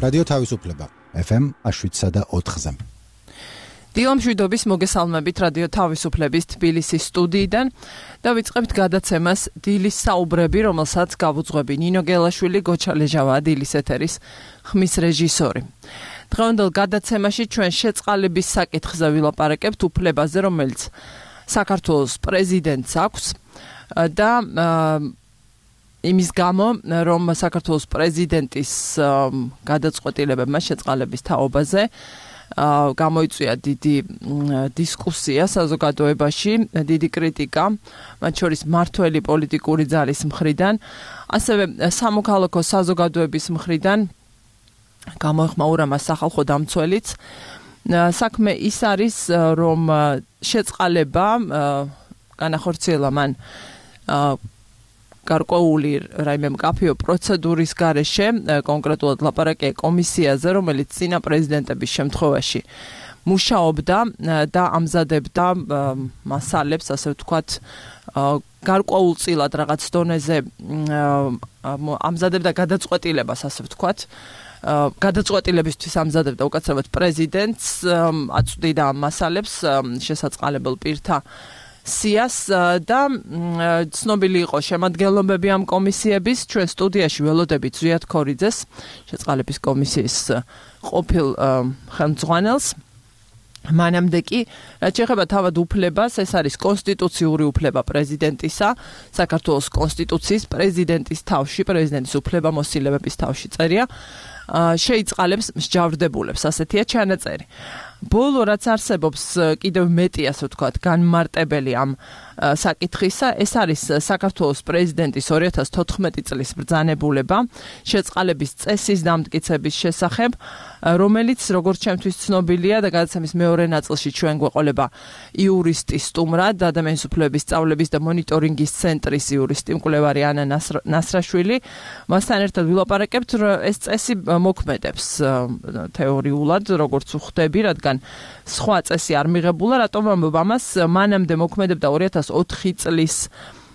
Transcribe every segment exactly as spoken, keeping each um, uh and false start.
რადიო თავისუფლება ეფ ემ შვიდსა და ოთხზე. დილამშვიდობის მოგესალმებით რადიო თავისუფლების თბილისის სტუდიიდან და ვიწყებთ გადაცემას დილის საუბრები, რომელსაც გავუძღვები ნინო გელაშვილი, გოჩა ლეჟავა, დილის ეთერის ხმის რეჟისორი. დღევანდელ გადაცემაში ჩვენ შეწყალების საკითხზე ვილაპარაკებთ უფლებაზე, რომელიც საქართველოს პრეზიდენტს აქვს და იმის გამო, რომ საქართველოს პრეზიდენტის გადაწყვეტილებებმა შეწყალების თაობაზე გამოიწვია დიდი დისკუსია საზოგადოებაში, დიდი კრიტიკა, მათ შორის მმართველი პოლიტიკური ძალის მხრიდან, ასევე სამოქალაქო საზოგადოების მხრიდან გამოეხმაურა მას სახალხო დამცველიც. საქმე ის არის, რომ შეწყალება განახორციელა მან გარკვეული რაიმე მკაფიო პროცედურის გარეშე, კონკრეტულად ლაპარაკია კომისიაზე, რომელიც წინა პრეზიდენტების შემთხვევაში მუშაობდა და ამზადებდა მასალებს, ასე ვთქვათ, გარკვეულწილად რაღაც დონეზე ამზადებდა გადაწყვეტილებას, ასე ვთქვათ, გადაწყვეტილებისთვის ამზადებდა უკაცრავად პრეზიდენტს, აწვდიდა ამ მასალებს შესაწყალებელ პირთა სიას და ცნობილი იყო შემადგენლობები ამ კომისიების. ჩვენ სტუდიაში ველოდებით ზვიად ქორიძეს, შეწყალების კომისიის ყოფილ ხელმძღვანელს. მანამდე კი, რაც შეეხება თავად უფლებას, ეს არის კონსტიტუციური უფლება პრეზიდენტისა, საქართველოს კონსტიტუციის პრეზიდენტის თავში, პრეზიდენტის უფლებამოსილებების თავში წერია, შეიწყალებს მსჯავრდებულებს, ასეთია ჩანაწერი. ბოლო რაც არსებობს კიდევ მეტი, ასე ვთქვათ, განმარტებელი ამ საკითხისა, ეს არის საქართველოს პრეზიდენტის ორი ათას თოთხმეტი წლის ბრძანებულება შეწყალების წესის დამტკიცების შესახებ, რომელიც როგორც ჩემთვის ცნობილია და გადაცემის მეორე ნაწილში ჩვენ გვეყოლება იურისტის სტუმრად, ადამიანის უფლებების სწავლების და მონიტორინგის ცენტრის იურისტი მკვლევარი ანა ნასრაშვილი. მასთან ერთად ვილაპარაკებთ, ეს წესი მოქმედებს თეორიულად, როგორც ვხვდები, რადგან სხვა წესი არ მიღებულა, რატომ ამბობ ამას, მანამდე მოქმედებდა ორი ათას ოთხი წლის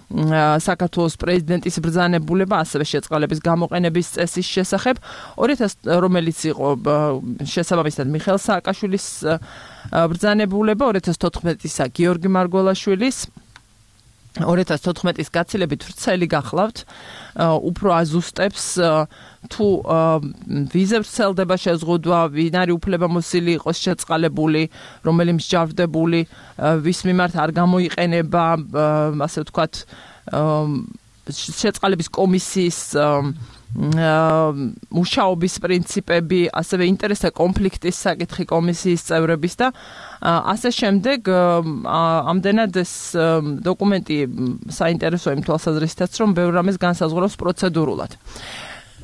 საქართველოს პრეზიდენტის ბრძანებულება, ასევე შეწყალების გამოყენების წესის შესახებ, ორი ათას რომელიც იყო შესაბამისად მიხეილ სააკაშვილის ბრძანებულება, ორი ათას თოთხმეტისა გიორგი მარგველაშვილის, ორი ათას თოთხმეტის გაცილებით ვრცელი გახლავთ, უფრო აზუსტებს თუ ვიზე ვრცელდება შეზღუდვა, ვინ არის უფლებამოსილი იყოს შეწყალებული, რომელი მსჯავრდებული, ვის მიმართ არ გამოიყენება, ასე ვთქვათ, შეწყალების კომისიის მუშაობის პრინციპები, ასევე ინტერესთა კონფლიქტის საკითხი კომისიის წევრების და ასე შემდეგ. ამდენად ეს დოკუმენტი საინტერესოა იმ თვალსაზრისითაც, რომ ბევრ რამეს განსაზღვრავს პროცედურულად.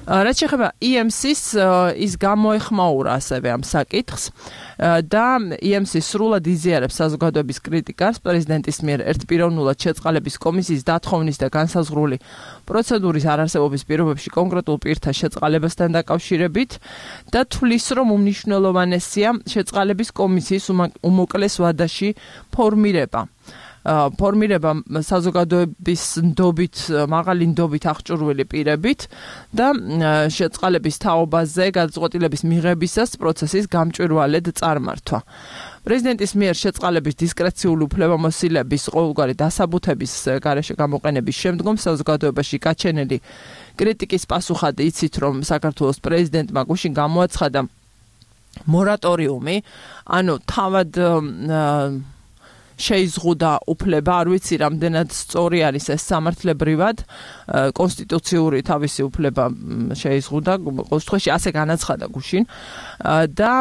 რაც შეეხება ი ემ სის, ის გამოეხმაურა ასევე ამ საკითხს და ი ემ სი სრულად იზიარებს საზოგადოების კრიტიკას პრეზიდენტის მიერ ერთპიროვნულად შეწყალების კომისიის დათხოვნის და განსაზღვრული პროცედურის არარსებობის პირობებში კონკრეტულ პირთა შეწყალებასთან დაკავშირებით და თვლის, რომ უმნიშვნელოვანესია შეწყალების კომისიის უმოკლეს ვადაში ფორმირება. ფორმირება საზოგადოების ნდობით, მაღალი ნდობით აღჭურვილი პირებით და შეწყალების თაობაზე გადაწყვეტილების მიღებისას პროცესის გამჭვირვალედ წარმართვა. პრეზიდენტის მიერ შეწყალების დისკრეციული უფლებამოსილების ყოველგვარი დასაბუთების გარეშე გამოყენების შემდგომ საზოგადოებაში გაჩენილი კრიტიკის პასუხად იცით, რომ საქართველოს პრეზიდენტმა გუშინ გამოაცხადა მორატორიუმი, ანუ თავად შეიზღუდა უფლება, არ ვიცი რამდენად სწორი არის ეს სამართლებრივად, კონსტიტუციური თავისი უფლება შეიზღუდა, ყოველ შემთხვევაში ასე განაცხადა გუშინ და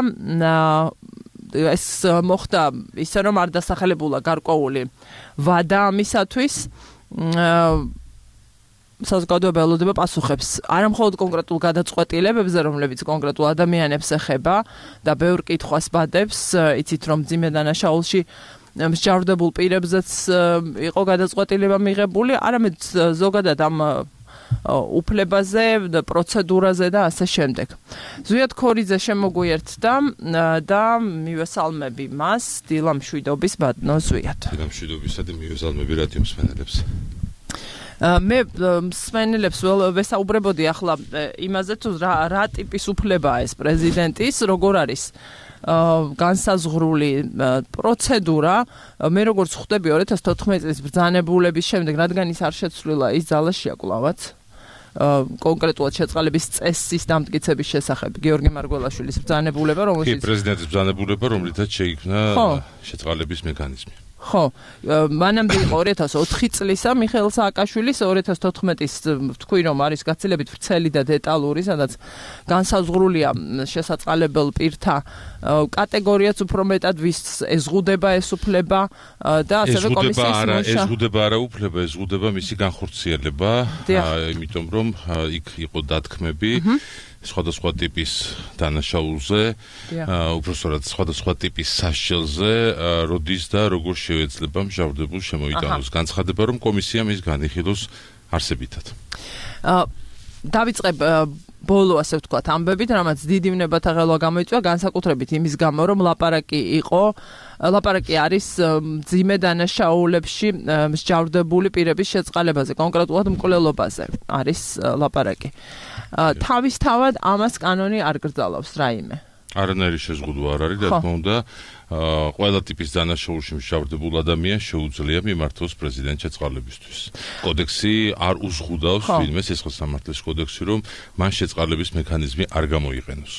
ეს მოხდა ისე, რომ არ დასახელებულა გარკვეული ვადა ამისათვის, საზოგადოება ელოდება პასუხებს არა მხოლოდ კონკრეტულ გადაწყვეტილებებზე, რომლებიც კონკრეტულ ადამიანებს ეხება და ბევრ კითხვას ბადებს, იცით რომ მძიმე დანაშაულში მსჯავრდებულ პირებზეც იყო გადაწყვეტილება მიღებული, არამედ ზოგადად ამ უფლებაზე, პროცედურაზე და ასე შემდეგ. ზვიად ქორიძე შემოგვიერთდა და მივესალმები მას, დილამშვიდობის ბატონო ზვიად. დილამშვიდობისა და მივესალმები რადიო მსმენელებს. მე მსმენელებს ვესაუბრებოდი ახლა იმაზე თუ რა რა ტიპის უფლებაა ეს პრეზიდენტის, როგორ არის განსაზღვრული პროცედურა. მე როგორც ხვდები ორი ათას თოთხმეტი წლის ბრძანებულების შემდეგ, რადგან ის არ შეცვლილა, ის ძალაშია კვლავაც. კონკრეტულად შეწყალების წესის დამტკიცების შესახებ გიორგი მარგველაშვილის ბრძანებულება, რომელშიც კი პრეზიდენტის ბრძანებულება, რომლითაც შეიქმნა შეწყალების მექანიზმი. ხო, მანამდე იყო ორი ათას ოთხი წლისა მიხეილ სააკაშვილის, ორი ათას თოთხმეტის თქვი რომ არის გაცილებით ვრცელი და დეტალური, სადაც განსაზღვრულია შესაწყალებელ პირთა კატეგორიაც უფრო მეტად ვის ეზღუდება ეს უფლება და ასევე კომისიის მუშა. ეზღუდება არა უფლება, ეზღუდება მისი განხორციელება, იმიტომ რომ იქ იყო დათქმები სხვადასხვა ტიპის დანაშაულზე, უბრალოდ სხვადასხვა ტიპის სასჯელზე, როდის და როგორ შეეძლება მჟავრდებულს შემოიტანოს. განცხადება, რომ კომისია მის განიხილავს არსებითად. დავიწყებ ბოლო ასე ვთქვათ ამბებით, რამაც დიდი ვნებათა ღელვა გამოიწვია, განსაკუთრებით იმის გამო, რომ ლაპარაკი იყო, ლაპარაკი არის მძიმე დანაშაულებში მსჯავრდებული პირების შეწყალებაზე, კონკრეტულად მკვლელობაზე არის ლაპარაკი. თავისთავად ამას კანონი არ გრძალავს რაიმე. არანაირი შეზღუდვა არ არის, რა თქმა უნდა, ყველა ტიპის დანაშაულში მსჯავრდებულ ადამიანს შეუძლია მიმართოს პრეზიდენტ შეწყალებისთვის. კოდექსი არ უზღუდავს ვინმე სისხლის სამართლის კოდექსი, რომ მან შეწყალების მექანიზმი არ გამოიყენოს.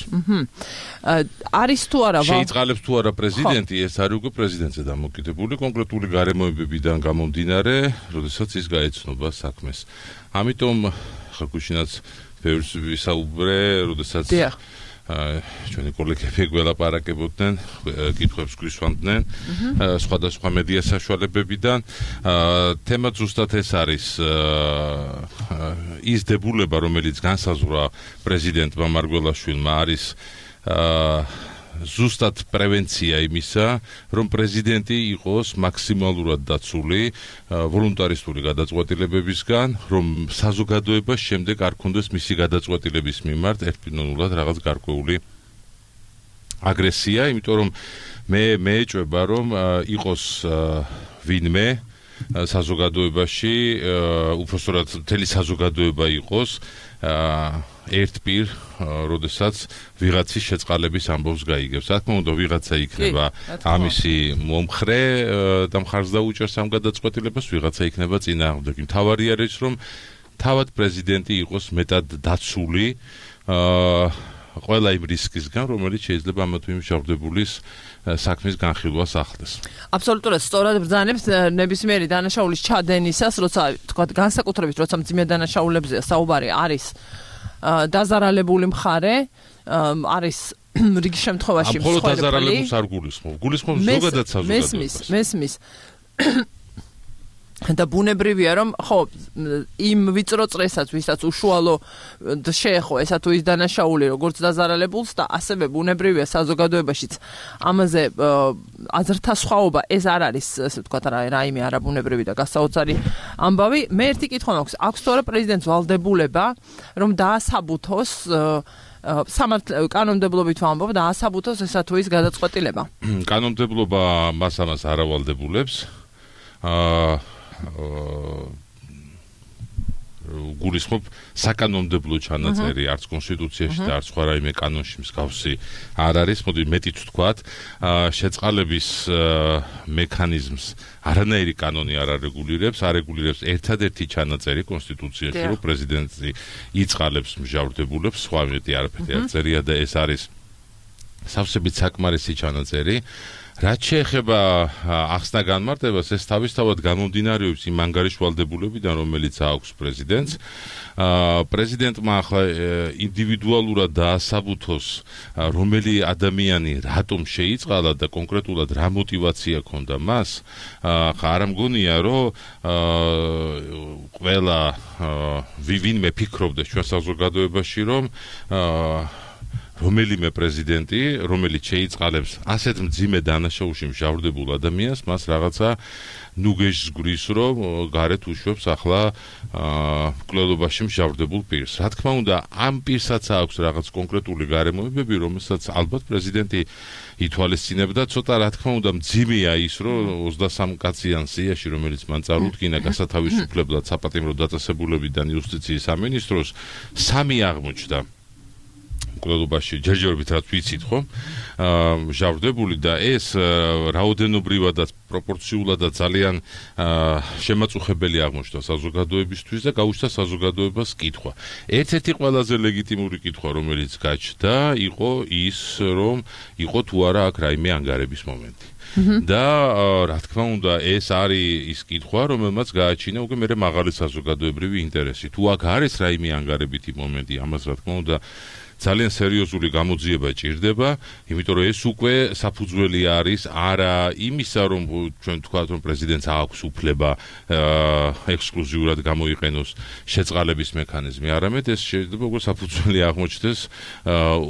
არის თუ არა შეიწყალებს თუ არა პრეზიდენტი, ეს არის უკვე პრეზიდენტზე დამოკიდებული კონკრეტული გარემოებებიდან გამომდინარე, როდესაც ის გაეცნობა საქმეს. ამიტომ ხალხუშინაც ბევრს ვისაუბრე, როდესაც ჩვენი კოლეგები გველაპარაკებოდნენ, კითხვებს გვისვამდნენ სხვადასხვა მედია საშუალებებიდან. თემა ზუსტად ეს არის ის დებულება, რომელიც განსაზღვრა პრეზიდენტმა მარგველაშვილმა, არის ზუსტად პრევენცია იმისა, რომ პრეზიდენტი იყოს მაქსიმალურად დაცული ვოლუნტარისტული გადაწყვეტილებებისგან, რომ საზოგადოებას შემდეგ არ ქონდეს მისი გადაწყვეტილების მიმართ ერთპიროვნულად რაღაც გარკვეული აგრესია, იმიტომ რომ მე მეეჭვება, რომ იყოს ვინმე საზოგადოებაში, უпростоრად მთელი საზოგადოება იყოს ერთ პირ, როდესაც ვიღაცის შეწყალების ამბავს გაიგებს. რა თქმა უნდა, ვიღაცა იქნება ამისი მომხრე და მხარს დაუჭერს ამ გადაწყვეტილებას, ვიღაცა იქნება წინააღმდეგი. მთავარი არის, რომ თავად პრეზიდენტი იყოს მეტად დაცული ყველა იმ რისკისგან, რომელიც შეიძლება ამა თუ იმ მჟავრდებულის საქმის განხილვას ახლდეს. აბსოლუტურად სწორად ბრძანებს ნებისმიერი დანაშაულის ჩადენისას, როცა თქვა განსაკუთრებით, როცა მძიმე დანაშაულებზეა საუბარი, არის დაზარალებული მხარე, არის რიგი შემთხვევაში მსხვერპლი. მხოლოდ დაზარალებულს არ გულისხმობ. გულისხმობ ზოგადად საზოგადოებას. მესმის, მესმის. და ბუნებრივია, რომ ხო, იმ ვიწრო წრესაც, ვისაც უშუალო შეეხო ესა თუ ის დანაშაული, როგორც დაზარალებულს და ასევე ბუნებრივია საზოგადოებაშიც ამაზე აზრთა სხვაობა, ეს არ არის, ასე ვთქვათ, რაიმე არაბუნებრივი და გასაოცარი ამბავი. მე ერთი კითხვა მაქვს, აქვს თუ არა პრეზიდენტს ვალდებულება, რომ დაასაბუთოს სამართლ კანონმდებლობით ვამბობ, დაასაბუთოს ესა თუ ის გადაწყვეტილება. კანონმდებლობა მას ამას არ ავალდებულებს. აა გულისხმობ საკანონმდებლო ჩანაწერი არც კონსტიტუციაში და არც სხვა რაიმე კანონში მსგავსი არ არის. მოდი მეტიც ვთქვათ, შეწყალების მექანიზმს არანაირი კანონი არ არეგულირებს, არეგულირებს ერთადერთი ჩანაწერი კონსტიტუციაში, რომ პრეზიდენტი იწყალებს მჟავრდებულებს, სხვა მეტი არაფერი არ წერია და ეს არის სავსებით საკმარისი ჩანაწერი. რაც შეეხება ახსნა განმარტებას, ეს თავისთავად გამომდინარეობს იმ ანგარიშვალდებულებიდან, რომელიც აქვს პრეზიდენტს. პრეზიდენტმა ახლა ინდივიდუალურად დაასაბუთოს, რომელი ადამიანი რატომ შეიწყალა და კონკრეტულად რა мотиваცია ჰქონდა მას. ხა არ მგონია, რომ ყველა ვინმე ფიქრობდეს ჩვენ საზოგადოებაში, რომ რომელიმე პრეზიდენტი, რომელიც შეიწყალებს ასეთ მძიმე დანაშაულში მჟავრდებულ ადამიანს, მას რაღაცა ნუგეშს გვრის, რომ გარეთ უშვებს ახლა მკვლელობაში მჟავრდებულ პირს. Რა თქმა უნდა, ამ პირსაც აქვს რაღაც კონკრეტული გარემოებები, რომელსაც ალბათ პრეზიდენტი ითვალისწინებდა, ცოტა რა თქმა უნდა მძიმეა ის, რომ ოცდასამ კაციან სიაში, რომელიც მან წარუდგინა გასათავისუფლებლად საპატიმრო დაწესებულებიდან იუსტიციის სამინისტროს, სამი აღმოჩნდა მკვლელობაში, ჯერჯერობით რაც ვიცით, ხო? მჟავრდებული და ეს რაოდენობრივადაც პროპორციულადაც ძალიან შემაწუხებელი აღმოჩნდა საზოგადოებისთვის და გაუჩნდა საზოგადოებას კითხვა. ერთ-ერთი ყველაზე ლეგიტიმური კითხვა, რომელიც გაჩნდა, იყო ის, რომ იყო თუ არა აქ რაიმე ანგარების მომენტი. და რა თქმა უნდა, ეს არის ის კითხვა, რომელმაც გააჩინა უკვე მერე მაღალი საზოგადოებრივი ინტერესი. თუ აქ არის რაიმე ანგარებითი მომენტი, ამას რა თქმა უნდა ძალიან სერიოზული გამოძიება ჭირდება, იმიტომ რომ ეს უკვე საფუძველი არის არა იმისა, რომ ჩვენ ვთქვათ, რომ პრეზიდენტს აქვს უფლება ექსკლუზიურად გამოიყენოს შეწყალების მექანიზმი, არამედ ეს შეიძლება უკვე საფუძველი აღმოჩნდეს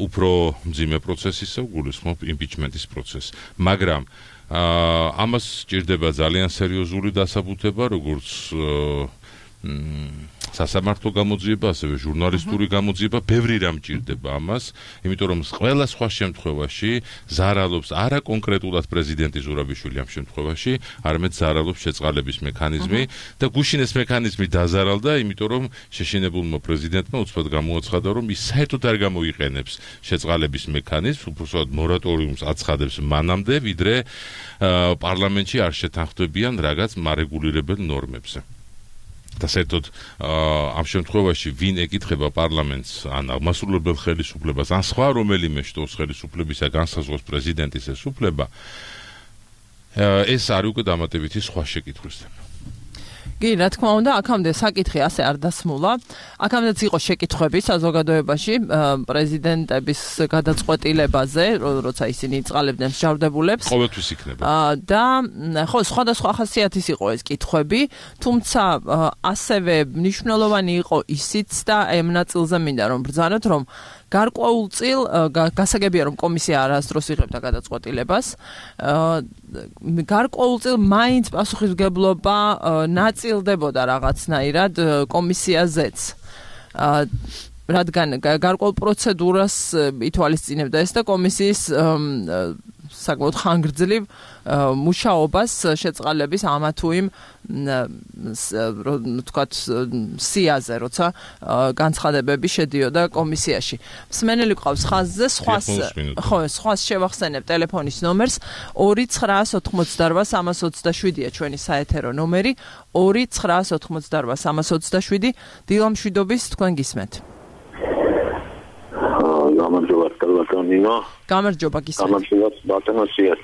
უფრო მძიმე პროცესისა, გულისხმობ იმპიჩმენტის პროცესს. მაგრამ ამას ჭირდება ძალიან სერიოზული დასაბუთება, როგორც სასამართლო გამოძიება, ასევე ჟურნალისტური გამოძიება, ბევრი რამ ჭირდება ამას, იმიტომ რომ ყველა სხვა შემთხვევაში ზარალობს არა კონკრეტულად პრეზიდენტი ზურაბიშვილი ამ შემთხვევაში, არამედ ზარალობს შეწყალების მექანიზმი და გუშინ ეს მექანიზმი დაზარალდა, იმიტომ რომ შეშინებულმა პრეზიდენტმა უცბად გამოაცხადა, რომ ის საერთოდ არ გამოიყენებს შეწყალების მექანიზმს, უბრალოდ მორატორიუმს აცხადებს მანამდე, ვიდრე პარლამენტში არ შეთანხმდებიან რაღაც მარეგულირებელ ნორმებზე. და საერთოდ ამ შემთხვევაში ვინ ეკითხება პარლამენტს ან აღმასრულებელ ხელისუფლებას ან სხვა რომელიმე შტოს ხელისუფლებისა განსაზღვროს პრეზიდენტის ეს უფლება, ეს არის უკვე დამატებითი სხვა შეკითხვის თემა. კი, რა თქმა უნდა, აქამდე საკითხი ასე არ დასმულა. აქამდეც იყო შეკითხვები საზოგადოებაში პრეზიდენტების გადაწყვეტილებაზე, როცა ისინი იწყალებდნენ მსჯავრდებულებს. ყოველთვის იქნება. და ხო, სხვადასხვა ხასიათის იყო ეს კითხვები, თუმცა ასევე მნიშვნელოვანი იყო ისიც და ამ ნაწილზე მინდა რომ ბრძანოთ, რომ გარკვეულწილ გასაგებია რომ კომისია არასდროს იღებდა გადაწყვეტილებას. გარკვეულწილ მაინც პასუხისმგებლობა ნაწილდებოდა რაღაცნაირად კომისიაზეც. რადგან გარკვეულ პროცედურას ითვალისწინებდა ეს და კომისიის საკმაოდ ხანგრძლივ მუშაობას შეწყალების ამა თუ იმ თქვათ სიაზე, როცა განცხადებები შედიოდა კომისიაში. მსმენელი ყავს ხაზზე, სხვას ხო, სხვას შევახსენებ ტელეფონის ნომერს ორი ცხრაას ოთხმოცდარვა სამას ოცდაშვიდია ჩვენი საეთერო ნომერი ორი ცხრაას ოთხმოცდარვა სამას ოცდაშვიდი. დილამშვიდობის, თქვენ გისმენთ. გამარჯობა, კალათონინო. გამარჯობა, გისმენთ. გამარჯობა, ბატონოსიათ.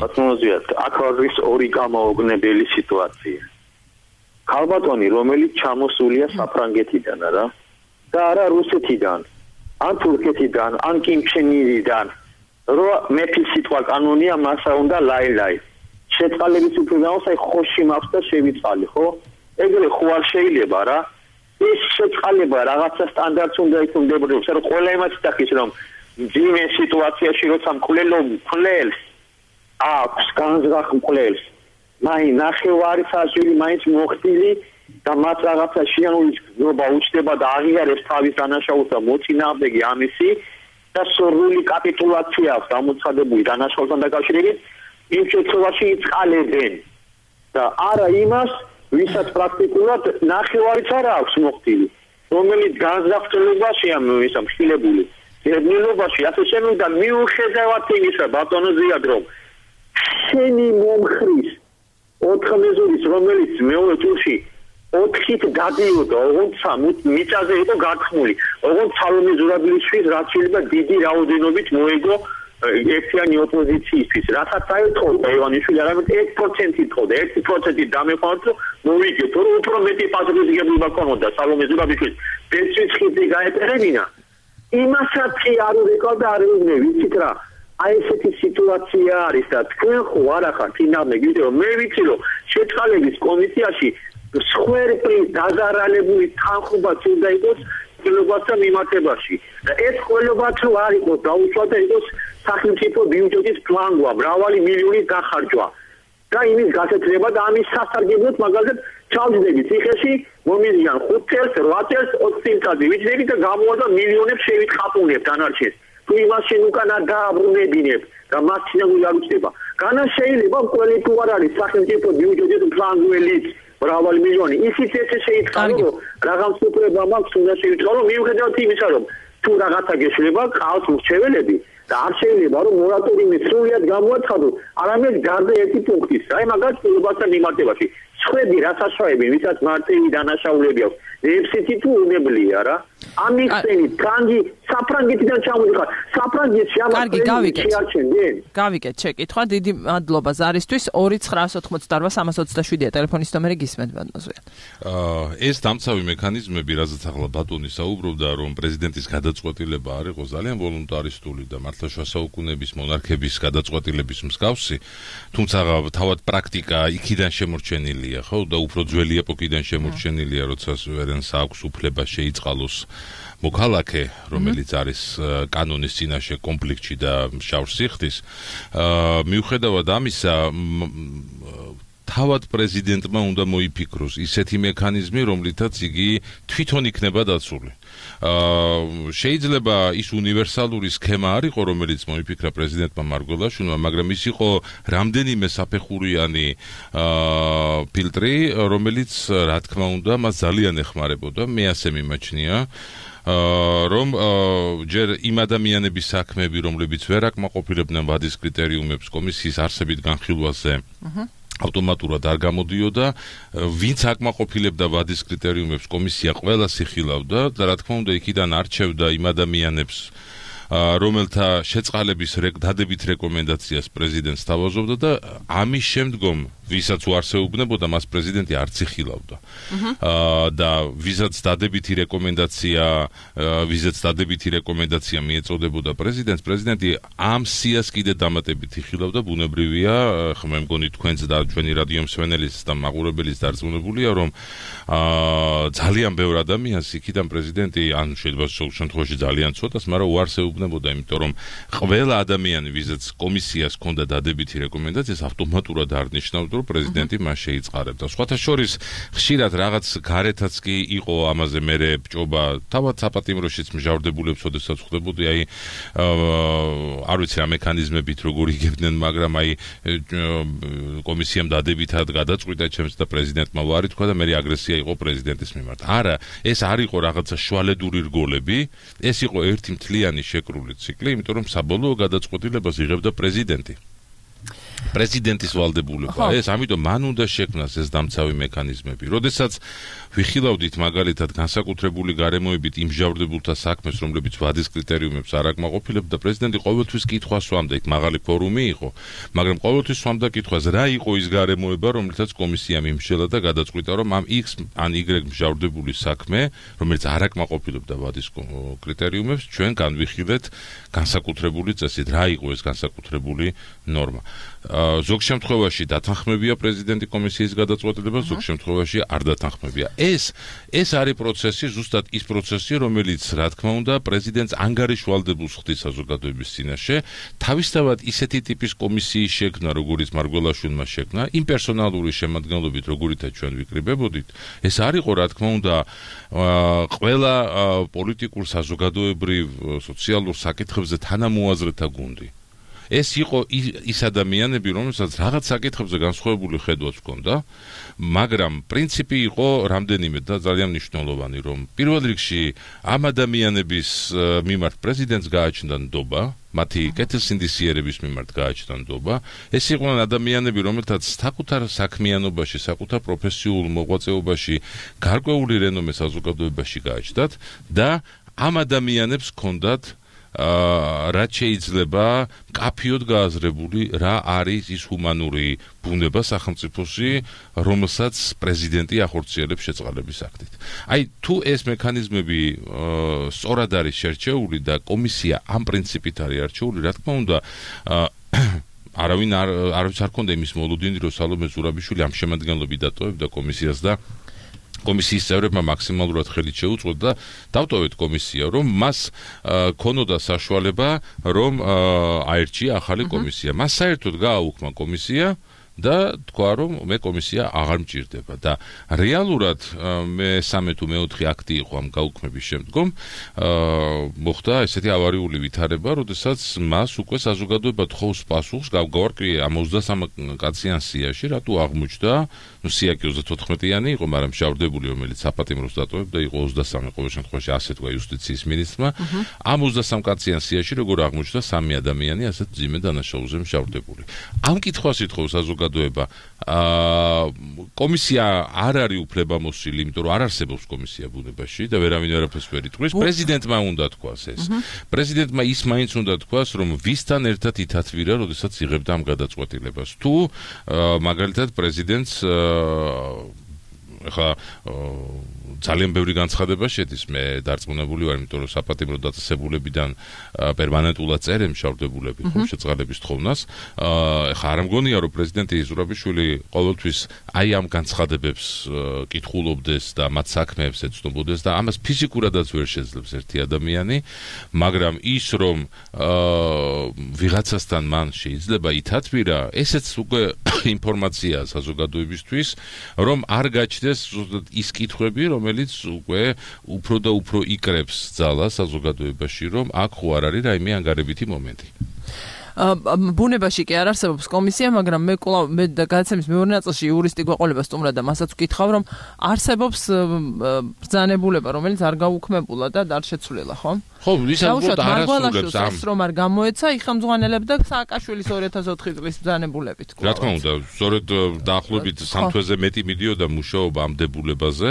ბატონოსიათ, აქ არის ორი გამოუგნებელი სიტუაცია. ქალბატონი, რომელიც ჩამოსულია საფრანგეთიდან, რა, და არა რუსეთიდან, ან თურქეთიდან, ან კიმჩენიდან, რო მეფის სიტყვა კანონია, მასა უნდა ლაილაი. შეწყალების უფლებამოს აი ხოში მაქვს და შევიწყალი, ხო? ეგრე ხო არ შეიძლება რა. ეს შეწყალება რაღაცა სტანდარტს უნდა იკუმდებოდეს, რომ ყველა იმას იტახის, რომ მძიმე სიტუაციაში როცა მკვლელო მკვლელს აქვს განზრახ მკვლელს, მაინც ნახევარი საშვილი მაინც მოხდილი და მათ რაღაცა შეანული გზნობა უჩნდება და აღიარებს თავის დანაშაულს და მოწინააღმდეგე ამისი და სრული კაპიტულაცია აქვს გამოცხადებული დანაშაულთან დაკავშირებით, იმ შემთხვევაში იწყალებენ და არა იმას, ვისაც პრაქტიკულად ნახევარიც არ აქვს მოხდილი, რომელიც განზრახ-წლებაშია ისა მხილებული. წერნილობაში ასე შემოვიდა მიუხედავად იმისა, ბატონო ზიად, რომ შენი მომხრის ოთხ მეზურის, რომელიც მეორე ტურში ოთხით დადიოდა, ოღონდ მიწაზე იყო გათქმული, ოღონდ სალომე ზურაბიშვილს რაც შეიძლება დიდი რაოდენობით მოეგო ერთიანი ოპოზიციისთვის, რასაც აეთხოვდა ივანიშვილი, არამედ ერთ პროცენტი თხოვდა, ერთი პროცენტი დამეყარდა, რომ მოვიგეთ, რომ უფრო მეტი პასუხისმგებლობა ქონოდა სალომე ზურაბიშვილს, ბეჭდის ხიდი გაეპერებინა. იმასაც არ ვიყავდა არ ვიგნე, ვიცით რა, აი ესეთი სიტუაცია არის და თქვენ ხო არ ახართ ინამე, გიდე რომ მე ვიცი რომ შეწყალების კომისიაში სხვერპლის დაზარალებული თანხმობა უნდა იყოს ყველობასთან მიმართებაში. და ეს ყველობაც რო არ იყოს დაუშვათ და იყოს სახელმწიფო ბიუჯეტის ფლანგვა, მრავალი მილიონი გახარჯვა. და იმის გასეთრება და ამის სასარგებლოდ მაგალითად ჩავჯდები ციხეში მომიზიან ხუთ წელს, რვა წელს, ოცი წელიწადზე ვიჯდები და გამოვარდა მილიონებს შევითყაპუნებ დანარჩენს. თუ იმას შენ უკანა დააბრუნებინებ და მას შეგული არ უჩნდება. განა შეიძლება ყველი თუ არ არის სახელმწიფო ბიუჯეტის ფლანგველი მრავალი მილიონი. ისიც ესე შეიტყარო რომ რაღაც უპრება მაქვს უნდა შეიტყარო მიუხედავად იმისა რომ თუ რაღაცა გეშლება ყავს მრჩეველები და არ შეიძლება რომ მორატორიუმი სრულად გამოაცხადოს არამედ გარდა ერთი პუნქტის. აი მაგას ყველასთან მიმართებაში ხვები რა საშუალები ვისაც მარტივი დანაშაულები აქვს. ეფსიტი თუ უნებლია რა. ამის წინით კანგი საფრანგეთიდან ჩამოდიხარ. საფრანგეთში ამას შეარჩენდნენ. გავიკეთ შეკითხვა. დიდი მადლობა ზარისთვის. ორი ცხრაას ოთხმოცდაოთხ სამას ოცდაშვიდია ტელეფონის ნომერი გისმენთ ბატონზეა. აა ეს დამცავი მექანიზმები, რაზეც ახლა ბატონი საუბრობდა, რომ პრეზიდენტის გადაწყვეტილება არ იყო ძალიან ვოლუნტარისტული და მართლაშუა საუკუნეების მონარქების გადაწყვეტილების მსგავსი, თუმცა თავად პრაქტიკა იქიდან შემორჩენილია, ხო, და უფრო ძველი ეპოქიდან შემორჩენილია, როცა ვერენს აქვს უფლება შეიწყალოს მოქალაქე, რომელიც არის კანონის წინაშე კონფლიქტში და შავს სიხდის. აა მიუხედავად ამისა, თავად პრეზიდენტმა უნდა მოიფიქროს ისეთი მექანიზმი, რომლითაც იგი თვითონ იქნება დაცული. აა შეიძლება ის უნივერსალური სქემა არ იყო, რომელიც მოიფიქრა პრეზიდენტმა მარგველაშვილმა, მაგრამ ის იყო რამდენიმე საფეხურიანი აა ფილტრი, რომელიც რა თქმა უნდა მას ძალიან ეხმარებოდა. მე ასე მიმაჩნია. რომ ჯერ იმ ადამიანების საქმეები, რომლებიც ვერ აკმაყოფილებდნენ ვადის კრიტერიუმებს კომისიის არსებით განხილვაზე, ავტომატურად არ გამოდიოდა, ვინც აკმაყოფილებდა ვადის კრიტერიუმებს, კომისია ყველას იხილავდა და რა თქმა უნდა იქიდან არჩევდა იმ ადამიანებს, რომელთა შეწყალების დადებით რეკომენდაციას პრეზიდენტს თავაზობდა და ამის შემდგომ ვისაც უარსეუბნებოდა მას პრეზიდენტი არც იხილავდა. აა და ვისაც დადებითი რეკომენდაცია, ვისაც დადებითი რეკომენდაცია მიეწოდებოდა პრეზიდენტს, პრეზიდენტი ამ სიას კიდე დამატებით იხილავდა, ბუნებრივია, ხა მე მგონი თქვენც და ჩვენი რადიო მსმენელის და მაყურებელის დარწმუნებულია, რომ აა ძალიან ბევრ ადამიანს იქიდან პრეზიდენტი, ან შეიძლება სულ შემთხვევაში ძალიან ცოტას, მაგრამ უარსეუბნებოდა, იმიტომ რომ ყველა ადამიანი, ვისაც კომისიას ჰქონდა დადებითი რეკომენდაცია, ავტომატურად არნიშნავდა პრეზიდენტი მას შეიწყარებდა. სხვათა შორის ხშირად რაღაც გარეთაც კი იყო ამაზე მერე ბჭობა, თავად საპატიმროშიც მჟავრდებულებს, ოდესაც ხვდებოდი, აი არ ვიცი რა მექანიზმებით როგორ იგებდნენ, მაგრამ აი კომისიამ დადებითად გადაწყვიტა ჩემს და პრეზიდენტმა ვარი თქვა და მე აგრესია იყო პრეზიდენტის მიმართ. არა, ეს არ იყო რაღაცა შუალედური რგოლები, ეს იყო ერთი მთლიანი შეკრული ციკლი, იმიტომ რომ საბოლოო გადაწყვეტილებას იღებდა პრეზიდენტი. პრეზიდენტის ვალდებულება ეს, ამიტომ მან უნდა შექმნას ეს დამცავი მექანიზმები. როდესაც ვიხილავდით მაგალითად განსაკუთრებული გარემოებით იმჟავრდებულთა საქმეს, რომლებიც ვადის კრიტერიუმებს არ აკმაყოფილებდა, პრეზიდენტი ყოველთვის კითხვას სვამდა, იქ მაღალი ფორუმი იყო, მაგრამ ყოველთვის სვამდა კითხვას, რა იყო ის გარემოება, რომლითაც კომისიამ იმშელა და გადაწყვიტა, რომ ამ X ან Y მჟავრდებული საქმე, რომელიც არ აკმაყოფილებდა ვადის კრიტერიუმებს, ჩვენ განვიხილეთ განსაკუთრებული წესით. რა იყო ეს განსაკუთრებული ნორმა? ზოგ შემთხვევაში დათანხმებია პრეზიდენტი კომისიის გადაწყვეტილებას, ზოგ შემთხვევაში არ დათანხმებია. ეს ეს არის პროცესი, ზუსტად ის პროცესი, რომელიც რა თქმა უნდა პრეზიდენტს ანგარიშვალდებულს ხდის საზოგადოების წინაშე, თავისთავად ისეთი ტიპის კომისიის შექმნა, როგორიც მარგველაშვილმა შექმნა, იმ პერსონალური შემადგენლობით, როგორითაც ჩვენ ვიკრიბებოდით, ეს არ იყო რა თქმა უნდა ყველა პოლიტიკურ, საზოგადოებრივ, სოციალურ საკითხებზე თანამოაზრეთა გუნდი. ეს იყო ის ადამიანები, რომელსაც რაღაც საკითხებზე განსხვავებული ხედვაც ჰქონდა, მაგრამ პრინციპი იყო რამდენიმე და ძალიან მნიშვნელოვანი, რომ პირველ რიგში ამ ადამიანების მიმართ პრეზიდენტს გააჩნდა ნდობა, მათი კეთილსინდისიერების მიმართ გააჩნდა ნდობა. ეს იყვნენ ადამიანები, რომელთაც საკუთარ საქმიანობაში, საკუთარ პროფესიულ მოღვაწეობაში გარკვეული რენომე საზოგადოებაში გააჩნდათ და ამ ადამიანებს ჰქონდათ აა რაც შეიძლება კაფიოდ გააზრებული რა არის ის ჰუმანური ბუნება სახელმწიფოში, რომელსაც პრეზიდენტი ახორციელებს შეწყალების აქტით. აი თუ ეს მექანიზმები სწორად არის შერჩეული და კომისია ამ პრინციპით არის არჩეული, რა თქმა უნდა არავინ არ არავის არ ქონდა იმის მოლოდინი, რომ სალომე ზურაბიშვილი ამ შემადგენლობით დატოვებდა კომისიას და კომისიის წევრებმა მაქსიმალურად ხელით შეუწყოთ და დავტოვეთ კომისია, რომ მას ქონოდა საშუალება, რომ აერჩია ახალი კომისია. მას საერთოდ გააუქმა კომისია და თქვა, რომ მე კომისია აღარ მჭირდება და რეალურად მე სამე თუ მეოთხე აქტი იყო ამ გაუქმების შემდგომ მოხდა ესეთი ავარიული ვითარება, როდესაც მას უკვე საზოგადოება თხოვს პასუხს გავგავარკვიე ამ ოცდასამ კაციან სიაში, რატო აღმოჩნდა, ნუ სიაკი ოცდათოთხმეტიანი იყო, მაგრამ მშავდებული, რომელიც საპატიმროს დატოვებდა, იყო ოცდასამი, ყოველ შემთხვევაში ასე თქვა იუსტიციის მინისტრმა. ამ ოცდასამ კაციან სიაში როგორ აღმოჩნდა სამი ადამიანი ასეთ ძიმე დანაშაულზე მშავდებული. ამ კითხვას ითხოვს საზოგადოება. კომისია არ არის უფლებამოსილი, იმიტომ რომ არ არსებობს კომისია ბუნებაში და ვერავინ არაფერს ვერ იტყვის. პრეზიდენტმა უნდა თქვას ეს. პრეზიდენტმა ის მაინც უნდა თქვას, რომ ვისთან ერთად ითათვირა, როდესაც იღებდა ამ გადაწყვეტილებას. თუ მაგალითად პრეზიდენტს ხა ძალიან ბევრი განცხადება შედის, მე დარწმუნებული ვარ, იმიტომ რომ საპატიმრო დაწესებულებიდან პერმანენტულად წერენ მშავდებულები, ხო, შეწყალების თხოვნას. ხა არ მგონია, რომ პრეზიდენტი ზურაბიშვილი ყოველთვის აი ამ განცხადებებს კითხულობდეს და მათ საქმეებს ეცნობოდეს და ამას ფიზიკურადაც ვერ შეძლებს ერთი ადამიანი, მაგრამ ის რომ ვიღაცასთან მან შეიძლება ითათვირა, ესეც უკვე ინფორმაციაა საზოგადოებისთვის, რომ არ გაჩნდეს ის კითხვები, რომელიც უკვე უფრო და უფრო იკრებს ძალას საზოგადოებაში, რომ აქ ხო არ არის რაიმე ანგარებითი მომენტი. ბუნებაში კი არ არსებობს კომისია, მაგრამ მე კვლავ მე გადაცემის მეორე ნაწილში იურისტი გვეყოლება სტუმრად და მასაც ვკითხავ, რომ არსებობს ბრძანებულება, რომელიც არ გაუქმებულა და არ შეცვლილა, ხო? ხო, ვისაც უბრალოდ არასრულებს ამ რომ არ გამოეცა, იხელმძღვანელებდა სააკაშვილის ორი ათას ოთხი წლის ბრძანებულებით. რა თქმა უნდა, სწორედ დაახლოებით სამ თვეზე მეტი მიდიოდა მუშაობა ამ დებულებაზე.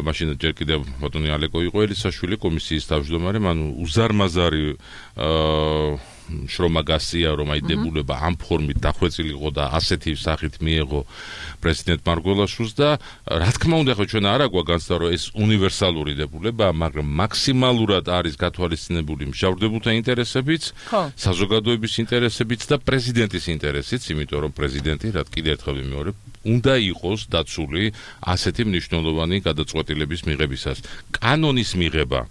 მაშინ ჯერ კიდევ ბატონი ალეკო იყო ელისაშვილი კომისიის თავმჯდომარე, ანუ უზარმაზარი აა შრომა გასწია, რომ აი დებულება ამ ფორმით დახვეწილიყო და ასეთი სახით მიეღო პრეზიდენტ მარგველაშვილს და რა თქმა უნდა, ხო ჩვენ არა გვაქვს განცდა, რომ ეს უნივერსალური დებულებაა, მაგრამ მაქსიმალურად არის გათვალისწინებული მშავდებულთა ინტერესებიც, საზოგადოების ინტერესებიც და პრეზიდენტის ინტერესიც, იმიტომ რომ პრეზიდენტი, რა კიდევ ერთხელ ვიმეორებ, უნდა იყოს დაცული ასეთი მნიშვნელოვანი გადაწყვეტილების მიღებისას. კანონის მიღება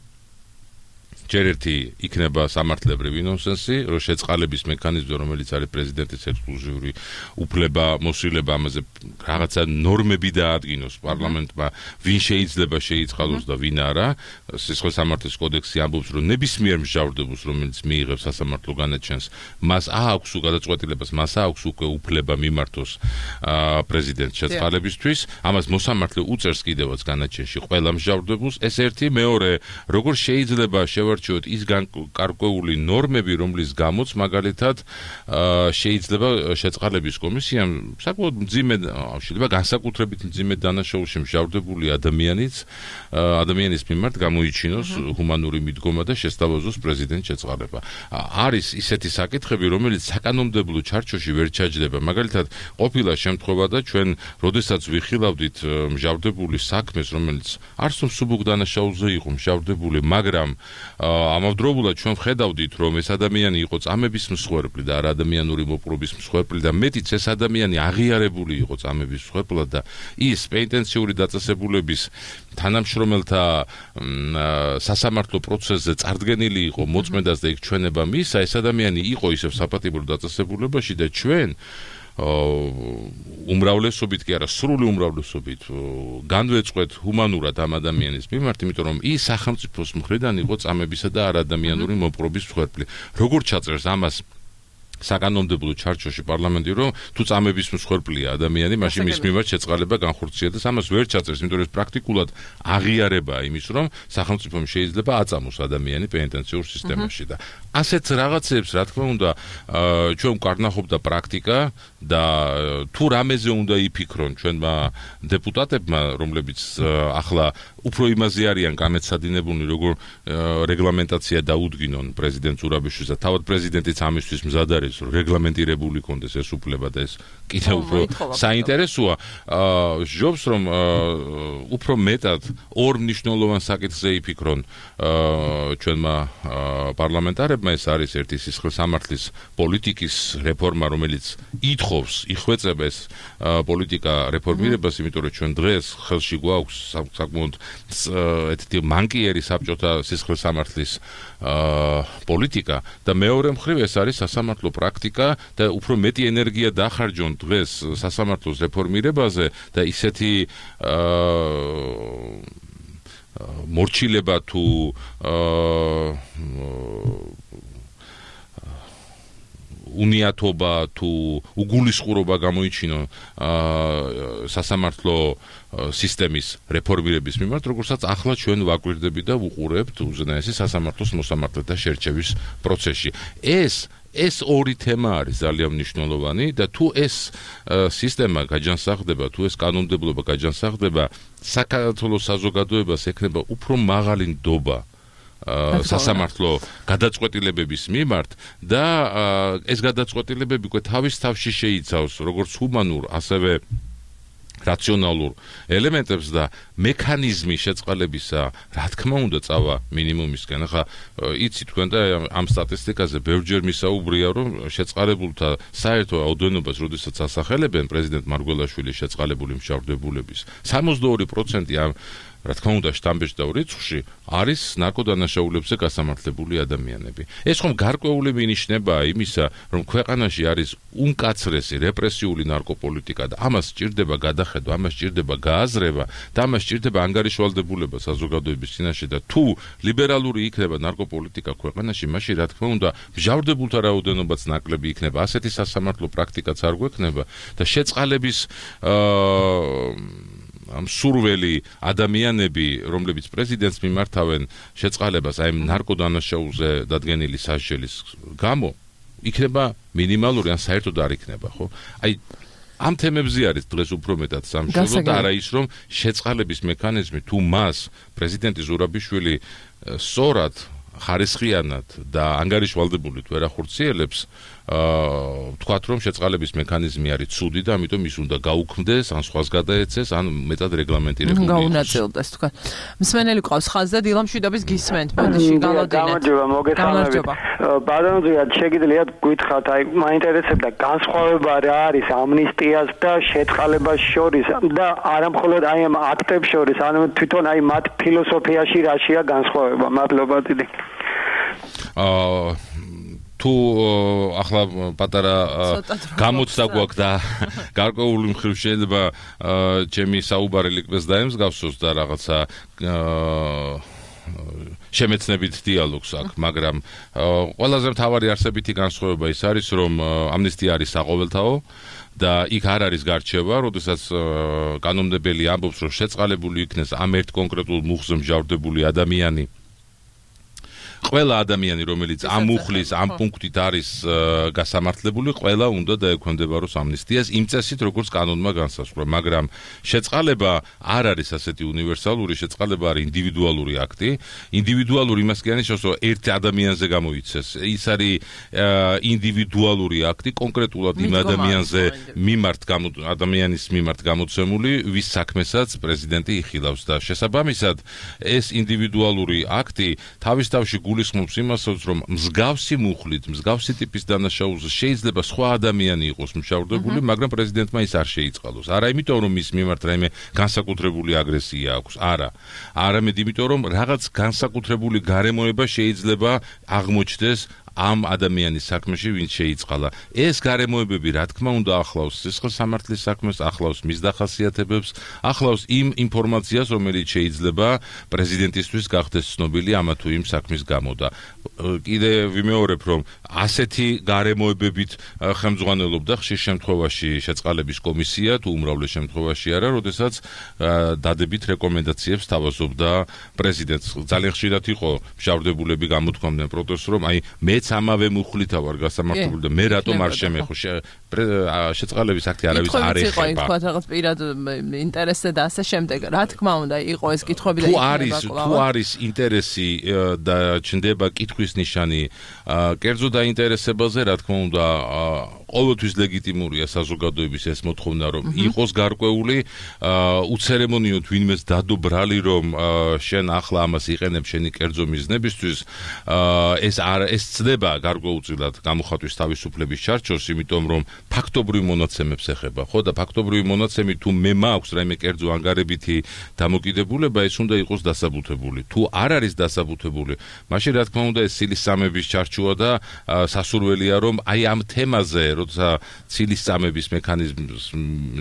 ჯერ ერთი იქნება სამართლებრივი ნონსენსი, რომ შეწყალების მექანიზმი, რომელიც არის პრეზიდენტის ექსკლუზიური უფლება, მოსილება, ამაზე რაღაცა ნორმები დაადგინოს პარლამენტმა, ვინ შეიძლება შეიწყალოს და ვინ არა. სისხლის სამართლის კოდექსი ამბობს, რომ ნებისმიერ მჟავრდებულს, რომელიც მიიღებს სასამართლო განაჩენს, მას აქვს გადაწყვეტილებას, მას აქვს უკვე უფლება მიმართოს პრეზიდენტს შეწყალებისთვის. ამას მოსამართლე უწევს კიდევაც განაჩენში ყველა მჟავრდებულს. ეს ერთი, მეორე, როგორ შეიძლება შევარ ის გარკვეული ნორმები, რომლის გამოც მაგალითად შეიძლება შეწყალების კომისიამ საკმაოდ მძიმე, შეიძლება განსაკუთრებით მძიმე დანაშაულში მჟავრდებული ადამიანიც ადამიანის მიმართ გამოიჩინოს ჰუმანური მიდგომა და შესთავაზოს პრეზიდენტ შეწყალება. არის ისეთი საკითხები, რომელიც საკანონმდებლო ჩარჩოში ვერ ჩაჯდება. მაგალითად, ყოფილა შემთხვევა და ჩვენ, როდესაც ვიხილავდით მჟავრდებული საქმეს, რომელიც არსო მსუბუქ დანაშაულზე იყო მჟავრდებული, მაგრამ ამავდროულად ჩვენ ვხედავდით, რომ ეს ადამიანი იყო წამების მსხვერპლი და არა ადამიანური მოპყრობის მსხვერპლი და მეტიც ეს ადამიანი აღიარებული იყო წამების მსხვერპლად და ის პენიტენციური დაწესებულების თანამშრომელთა სასამართლო პროცესზე წარდგენილი იყო მოწმედას და იქ ჩვენება მისცა, ეს ადამიანი იყო ისევ საპატიმრო დაწესებულებაში და ჩვენ უმრავლესობით კი არა, სრული უმრავლესობით განვეწყვეთ ჰუმანურად ამ ადამიანის მიმართ, იმიტომ რომ ის სახელმწიფოს მხრიდან იყო წამებისა და არადამიანური მოპყრობის მსხვერპლი. როგორ ჩაწერს ამას საკანონმდებლო ჩარჩოში პარლამენტი, რომ თუ წამების მსხვერპლია ადამიანი, მაშინ მის მიმართ შეწყალება განხორციელდეს, ამას ვერ ჩაწერს, იმიტომ რომ ეს პრაქტიკულად აღიარებაა იმის, რომ სახელმწიფომ შეიძლება აწამოს ადამიანი პენიტენციურ სისტემაში და ასეთ რაღაცებს, რა თქმა უნდა, ჩვენ ვკარნახობდა პრაქტიკა და თუ რამეზე უნდა იფიქრონ ჩვენმა დეპუტატებმა, რომლებიც ახლა უფრო იმაზე არიან გამეცადინებულნი, როგორ რეგლამენტაცია დაუდგინონ პრეზიდენტ ზურაბიშვილს და თავად პრეზიდენტიც ამისთვის მზად არის, არის რომ რეგლამენტირებული კონდეს ეს უფლება და ეს კიდევ უფრო საინტერესოა ჯობს რომ უფრო მეტად ორ მნიშვნელოვან საკითხზე იფიქრონ ჩვენმა პარლამენტარებმა ეს არის ერთი სისხლსამართლის პოლიტიკის რეფორმა რომელიც ითხოვს იხვეწებს პოლიტიკა რეფორმირებას იმიტომ რომ ჩვენ დღეს ხელში გვაქვს საკმაოდ ერთი მანკიერი საბჭოთა სისხლსამართლის პოლიტიკა და მეორე მხრივ ეს არის სასამართლო პრაქტიკა და უფრო მეტი ენერგია დახარჯონ დღეს სასამართლოს რეფორმირებაზე და ისეთი მორჩილება თუ უნიათობა თუ უგულისხმობა გამოიჩინონ სასამართლო სისტემის რეფორმირების მიმართ, როგორცაც ახლა ჩვენ ვაკვირდებით და ვუყურებთ უზენაესი სასამართლოს მოსამართლეთა შერჩევის პროცესში. ეს ეს ორი თემა არის ძალიან მნიშვნელოვანი და თუ ეს სისტემა გაჯანსაღდება, თუ ეს კანონმდებლობა გაჯანსაღდება, საქართველოს საზოგადოებას ექნება უფრო მაღალი ნდობა სასამართლო გადაწყვეტილებების მიმართ და ეს გადაწყვეტილებები უკვე თავის თავში შეიცავს როგორც ჰუმანურ, ასევე რაციონალურ ელემენტებს და მექანიზმი შეწყალებისა, რა თქმა უნდა, წავა მინიმუმისკენ. ახლა იცი თქვენ და ამ სტატისტიკაზე ბევრჯერ მისაუბრია, რომ შეწყალებულთა საერთო რაოდენობას, როდესაც ასახელებენ პრეზიდენტ მარგველაშვილის შეწყალებული მშავდებულების, სამოცდაორი პროცენტი ამ რა თქმა უნდა შტამბეჭდავ რიცხვში არის ნარკოდანაშაულებზე გასამართლებული ადამიანები. ეს ხომ გარკვეული მინიშნებაა იმისა, რომ ქვეყანაში არის უმკაცრესი რეპრესიული ნარკოპოლიტიკა და ამას სჭირდება გადახედვა, ამას სჭირდება გააზრება და ამას სჭირდება ანგარიშვალდებულება საზოგადოების წინაშე და თუ ლიბერალური იქნება ნარკოპოლიტიკა ქვეყანაში, მაშინ რა თქმა უნდა მჟავრდებულთა რაოდენობაც ნაკლები იქნება, ასეთი სასამართლო პრაქტიკაც არ გვექნება და შეწყალების აა ამ სურველი ადამიანები, რომლებიც პრეზიდენტს მიმართავენ შეწყალებას აი ნარკოდანაშაულზე დადგენილი სასჯელის გამო, იქნება მინიმალური ან საერთოდ არ იქნება, ხო? აი ამ თემებზე არის დღეს უფრო მეტად სამშობლო და არა ის რომ შეწყალების მექანიზმი თუ მას პრეზიდენტი ზურაბიშვილი სწორად ხარისხიანად და ანგარიშვალდებულით ვერ ახორციელებს, თქვათ რომ შეწყალების მექანიზმი არის ცუდი და ამიტომ ის უნდა გაუქმდეს, ან სხვას გადაეცეს, ან მეტად რეგლამენტირებული იყოს. გაუნაწილდეს თქვათ. მსმენელი ყავს ხაზზე, დილა მშვიდობის გისმენთ, ბოდიში გალოდინეთ. გამარჯობა, მოგესალმებით. ბატონო, შეგიძლიათ გითხრათ, აი მაინტერესებდა განსხვავება რა არის ამნისტიას და შეწყალებას შორის და არამხოლოდ აი ამ აქტებს შორის, ანუ თვითონ აი მათ ფილოსოფიაში რაშია განსხვავება? მადლობა დიდი. აა თუ ახლა პატარა გამოცდა გვაქვს და გარკვეული მხრივ შეიძლება ჩემი საუბარი ლიკბეს დაემსგავსოს და რაღაცა შემეცნებით დიალოგს აქვს, მაგრამ ყველაზე მთავარი არსებითი განსხვავება ის არის, რომ ამნისტია არის საყოველთაო და იქ არ არის გარჩევა, როდესაც კანონმდებელი ამბობს, რომ შეწყალებული იქნეს ამ ერთ კონკრეტულ მუხზე მჟავრდებული ადამიანი. ყველა ადამიანი, რომელიც ამ მუხლის, ამ პუნქტით არის გასამართლებული, ყველა უნდა დაექვემდებაროს ამნისტიას იმ წესით, როგორც კანონმა განსაზღვრა, მაგრამ შეწყალება არ არის ასეთი უნივერსალური, შეწყალება არის ინდივიდუალური აქტი. ინდივიდუალური იმას კი ანიშნავს, რომ ერთ ადამიანზე გამოიცეს. ის არის ინდივიდუალური აქტი, კონკრეტულად იმ ადამიანზე მიმართ ადამიანის მიმართ გამოცემული, ვის საქმესაც პრეზიდენტი იხილავს და შესაბამისად ეს ინდივიდუალური აქტი თავის თავში გულისხმობს იმასაც, რომ მსგავსი მუხლით, მსგავსი ტიპის დანაშაულზე შეიძლება სხვა ადამიანი იყოს მშავდებული, მაგრამ პრეზიდენტმა ის არ შეიწყალოს. არა იმიტომ, რომ მის მიმართ რაიმე განსაკუთრებული აგრესია აქვს, არა. არამედ იმიტომ, რომ რაღაც განსაკუთრებული გარემოება შეიძლება აღმოჩნდეს ამ ადამიანის საქმეში, ვინც შეიწყალა. ეს გარემოებები, რა თქმა უნდა, ახლავს სისხლსამართლის საქმეს, ახლავს მის დახასიათებებს, ახლავს იმ ინფორმაციას, რომელიც შეიძლება პრეზიდენტისთვის გახდეს ცნობილი ამა თუ იმ საქმის გამო და კიდე ვიმეორებ, რომ ასეთი გარემოებებით ხელმძღვანელობდა ხშირ შემთხვევაში შეწყალების კომისია, თუ უმრავლეს შემთხვევაში არა, როდესაც დადებით რეკომენდაციებს თავაზობდა პრეზიდენტს. ძალიან ხშირად იყო მშავდებულები გამოთქვამდნენ პროტესტს, რომ აი მეც ამავე მუხლითა ვარ გასამართლებული და მე რატომ არ შემეხო შეწყალების აქტი არავის არ ეხება. იყო თქვა რაღაც პირად ინტერესზე და ასე შემდეგ. რა თქმა უნდა, იყო ეს კითხვები და თუ არის თუ არის ინტერესი და ჩნდება კითხვის ნიშანი კერძო დაინტერესებაზე, რა თქმა უნდა, ყოველთვის ლეგიტიმურია საზოგადოების ეს მოთხოვნა, რომ იყოს გარკვეული უცერემონიოდ ვინმეს დადო ბრალი, რომ შენ ახლა ამას იყენებ შენი კერძო მიზნებისთვის, ეს არ ეს ცდება გარკვეულწილად გამოხატვის თავისუფლების ჩარჩოს, იმიტომ რომ ფაქტობრივ მონაცემებს ეხება, ხო და ფაქტობრივი მონაცემი თუ მე მაქვს რაიმე კერძო ანგარებითი დამოკიდებულება, ეს უნდა იყოს დასაბუთებული. თუ არ არის დასაბუთებული, მაშინ რა თქმა უნდა ეს ცილისწამების ჩარჩოა და სასურველია რომ აი ამ თემაზე, როცა ცილისწამების მექანიზმს,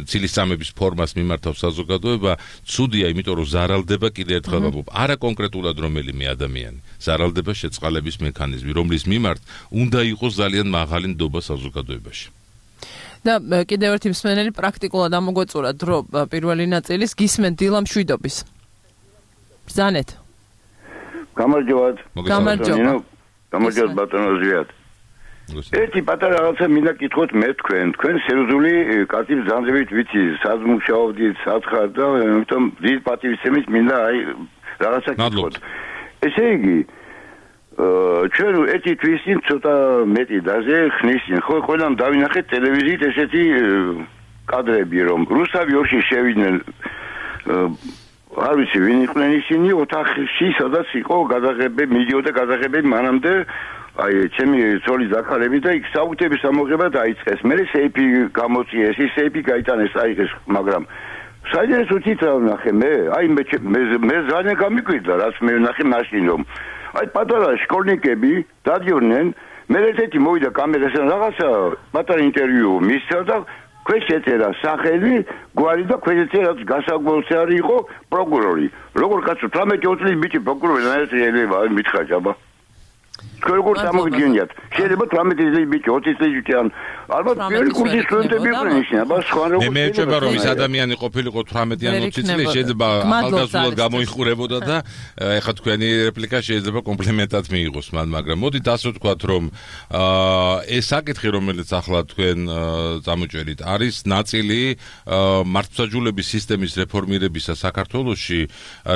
ცილისწამების ფორმას მიმართავს საზოგადოება, ცუდია, იმიტომ რომ ზარალდება კიდე ერთხელ ვამბობ, არა კონკრეტულად რომელიმე ადამიანი, ზარალდება შეწყალების მექანიზმი, რომლის მიმართ უნდა იყოს ძალიან მაღალი ნდობა საზოგადოებაში. და კიდევ ერთი მსმენელი პრაქტიკულად ამოგვეწურა დრო პირველი ნაწილის გისმენთ დილა მშვიდობის. ბრძანეთ. გამარჯობათ. გამარჯობა. გამარჯობათ ბატონო ზვიად. ერთი პატარა რაღაცა მინდა კითხოთ მე თქვენ, თქვენ სერიოზული კაცი ბრძანებით ვიცი, სად მუშაობდით, სათხარ და ამიტომ დიდ პატივისცემით მინდა აი რაღაცა კითხოთ. ესე იგი ჩვენ ერთი თვის წინ ცოტა მეტი დაზე ხნისინ ხო ყველამ დავინახეთ ტელევიზიით ესეთი კადრები რომ რუსთავი ორში შევიდნენ არ ვიცი ვინ იყვნენ ისინი ოთახში სადაც იყო გადაღებები მიდიოდა გადაღებები მანამდე აი ჩემი ძოლის ზაქარები და იქ საუთების ამოღება დაიწყეს მე სეიფი გამოწიეს ის სეიფი გაიტანეს აიღეს მაგრამ საერთოდ უცით რა ვნახე მე აი მე მე ძალიან გამიკვირდა რაც მე ვნახე მაშინ რომ აი პატარა შკოლნიკები დადიოდნენ მე ერთ-ერთი მოვიდა კამერასთან რაღაცა პატარა ინტერვიუ მისცა და ქვეშ ეწერა სახელი გვარი და ქვეშ ეწერა გასაგველზე არის იყო პროკურორი როგორ კაცო თერთმეტი წლის ბიჭი პროკურორი შეიძლება მითხრა ჯაბა თქვენ როგორ გამოგიძინიათ შეიძლება თერთმეტი წლის ბიჭი ოცი წლის ბიჭი ან ალბათ პირველი კურსის სტუდენტები იყვნენ ისინი აბა სხვა როგორ მე მეჭება რომ ის ადამიანი ყოფილიყო თერთმეტი ან ოცი წლის შეიძლება ახალგაზრდულად გამოიხურებოდა და ეხლა თქვენი რეპლიკა შეიძლება კომპლიმენტად მიიღოს მან მაგრამ მოდით ასე ვთქვათ რომ ეს საკითხი რომელიც ახლა თქვენ წამოჭერით არის ნაწილი მართლმსაჯულების სისტემის რეფორმირებისა საქართველოში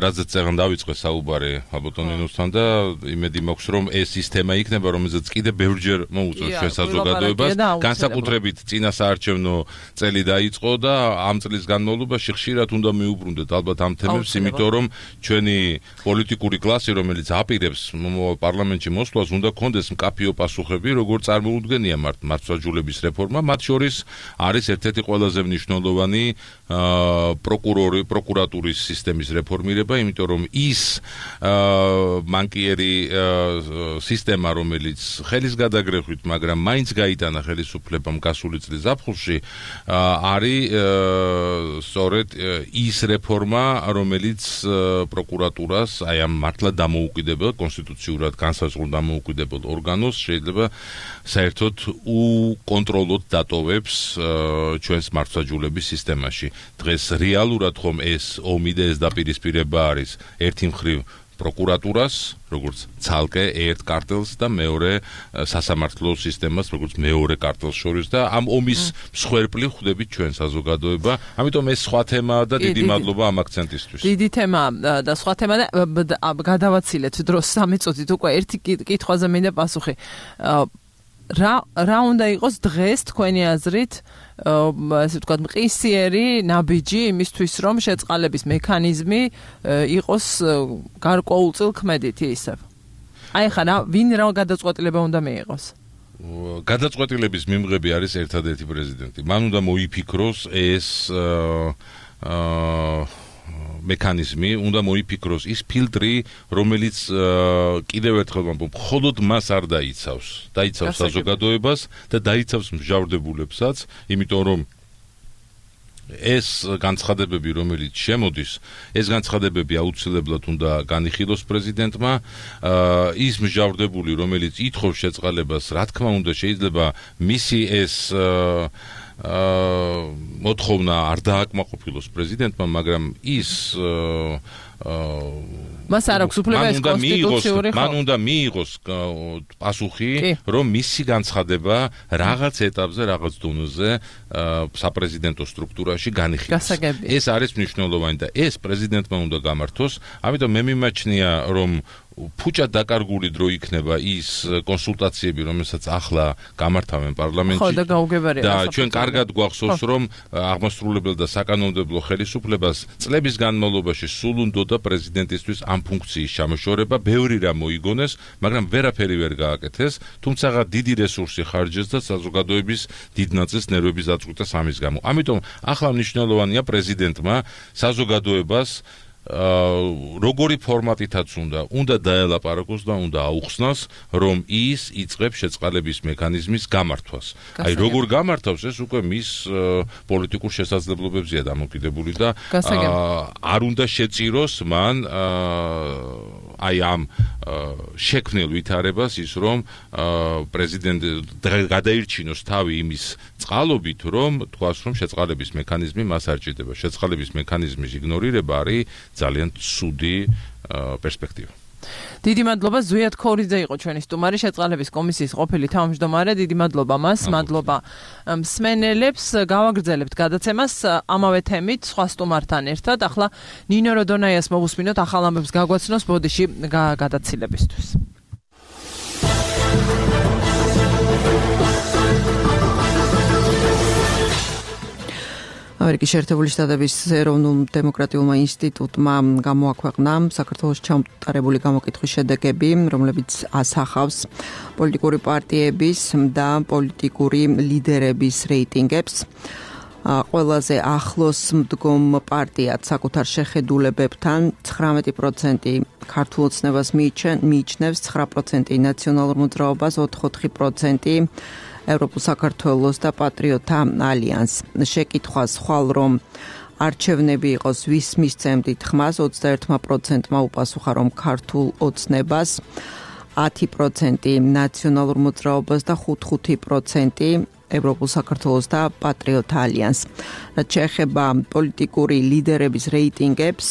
რაზეც წეგან დავიწყე საუბარი აბოტონინოსთან და იმედი მაქვს რომ ეს სისტემა იქნება რომელზეც კიდე ბევრჯერ მოუწევს ჩვენ საზოგადოებას განსაკუთრებით წინა საარჩევნო წელი დაიწყო და ამ წლის განმავლობაში ხშირად უნდა მიუბრუნდეთ ალბათ ამ თემებს იმიტომ რომ ჩვენი პოლიტიკური კლასი რომელიც აპირებს პარლამენტში მოსვლას უნდა კონდეს მკაფიო პასუხები როგორ წარმოუდგენია მართლმსაჯულების რეფორმა მათ შორის არის ერთ-ერთი ყველაზე მნიშვნელოვანი პროკურორი პროკურატურის სისტემის რეფორმირება იმიტომ რომ ის მანკიერი სისტემა რომელიც ხელის გადაგრეხვით მაგრამ მაინც გაიტანა ხელისუფლებამ გასული წლის ზაფხულში არის სწორედ ის რეფორმა რომელიც პროკურატურას აი ამ მართლა დამოუკიდებელ კონსტიტუციურად განსაზღვრულ დამოუკიდებელ ორგანოს შეიძლება საერთოდ უკონტროლოდ დატოვებს ჩვენს მართლმსაჯულების სისტემაში დღეს რეალურად ხომ ეს ომი და ეს დაპირისპირება არის ერთი მხრივ პროკურატურას, როგორც ცალკე ერთ კარტელს და მეორე სასამართლო სისტემას, როგორც მეორე კარტელს შორის და ამ ომის მსხვერპლი ხვდებით ჩვენ საზოგადოება. ამიტომ ეს სხვა თემაა და დიდი მადლობა ამ აქცენტისთვის. დიდი თემა და სხვა თემა და გადავაცილეთ დროს სამი წუთით უკვე ერთი კითხვაზე მინდა პასუხი. რა რა უნდა იყოს დღეს თქვენი აზრით ასე ვთქვათ მყისიერი ნაბიჯი იმისთვის რომ შეწყალების მექანიზმი იყოს გარკვეულწილ ქმედითი ისევ. აი ხა რა ვინ რა გადაწყვეტილება უნდა მიიღოს? გადაწყვეტილების მიმღები არის ერთადერთი პრეზიდენტი. მან უნდა მოიფიქროს ეს აა მექანიზმი, უნდა მოიფიქროს ის ფილტრი, რომელიც კიდევ ერთხელ ვამბობ, მხოლოდ მას არ დაიცავს. დაიცავს საზოგადოებას და დაიცავს მჟავრდებულებსაც, იმიტომ რომ ეს განცხადებები, რომელიც შემოდის, ეს განცხადებები აუცილებლად უნდა განიხილოს პრეზიდენტმა, ის მჟავრდებული, რომელიც ითხოვს შეწყალებას, რა თქმა უნდა, შეიძლება მისი ეს მოთხოვნა არ დააკმაყოფილოს პრეზიდენტმა, მაგრამ ის მას არ აქვს უფლება ეს კონსტიტუციური ხო? მან უნდა მიიღოს პასუხი, რომ მისი განცხადება რაღაც ეტაპზე, რაღაც დონეზე საპრეზიდენტო სტრუქტურაში განიხილოს. ეს არის მნიშვნელოვანი და ეს პრეზიდენტმა უნდა გამართოს. ამიტომ მე მიმაჩნია, რომ ფუჭად დაკარგული დრო იქნება ის კონსულტაციები, რომელსაც ახლა გამართავენ პარლამენტში. ხო და გაუგებარია. და ჩვენ კარგად გვახსოვს, რომ აღმასრულებელ და საკანონმდებლო ხელისუფლებას წლების განმავლობაში სულ უნდოდა პრეზიდენტისთვის ამ ფუნქციის ჩამოშორება, ბევრი რამ მოიგონეს, მაგრამ ვერაფერი ვერ გააკეთეს, თუმცა დიდი რესურსი ხარჯეს და საზოგადოების დიდ ნაწილს ნერვების დაწყვეტა ამის გამო. ამიტომ ახლა მნიშვნელოვანია პრეზიდენტმა საზოგადოებას როგორი ფორმატითაც უნდა უნდა დაელაპარაკოს და უნდა აუხსნას, რომ ის იწყებს შეწყალების მექანიზმის გამართვას. აი როგორ გამართავს, ეს უკვე მის პოლიტიკურ შესაძლებლობებზეა დამოკიდებული და არ უნდა შეწიროს მან აი ამ შექმნილ ვითარებას ის, რომ პრეზიდენტი გადაირჩინოს თავი იმის წყალობით, რომ თქვას, რომ შეწყალების მექანიზმი მას არ ჭირდება. შეწყალების მექანიზმის იგნორირება არის ძალიან ცუდი პერსპექტივა. დიდი მადლობა ზვიად ქორიძე იყო ჩვენი სტუმარი, შეწყალების კომისიის ყოფილი თავმჯდომარე. დიდი მადლობა მას, მადლობა მსმენელებს. გავაგრძელებთ გადაცემას ამავე თემით სხვა სტუმართან ერთად. ახლა ნინო როდონაიას მოვუსმინოთ ახალ ამბებს გაგვაცნოს ბოდიში გადაცილებისთვის. ამერიკის შეერთებული შტატების ეროვნულ დემოკრატიულმა ინსტიტუტმა გამოაქვეყნა საქართველოს ჩამოყალიბებული გამოკითხვის შედეგები, რომლებიც ასახავს პოლიტიკური პარტიების და პოლიტიკური ლიდერების რეიტინგებს. ყველაზე ახლოს მდგომ პარტიად საკუთარ შეხედულებებთან ცხრამეტი პროცენტი ქართულ ოცნებას მიიჩნევს, ცხრა პროცენტი ნაციონალურ მოძრაობას, ოთხი პროცენტი ევროპულ საქართველოს და პატრიოტთა ალიანს. შეკითხვა სხვალ რომ არჩევნები იყოს ვის მისცემდით ხმას, ოცდაერთი პროცენტმა უპასუხა რომ ქართულ ოცნებას, ათი პროცენტი ნაციონალურ მოძრაობას და ხუთი პროცენტი ევროპულ საქართველოს და პატრიოტთა ალიანს. რაც შეეხება პოლიტიკური ლიდერების რეიტინგებს,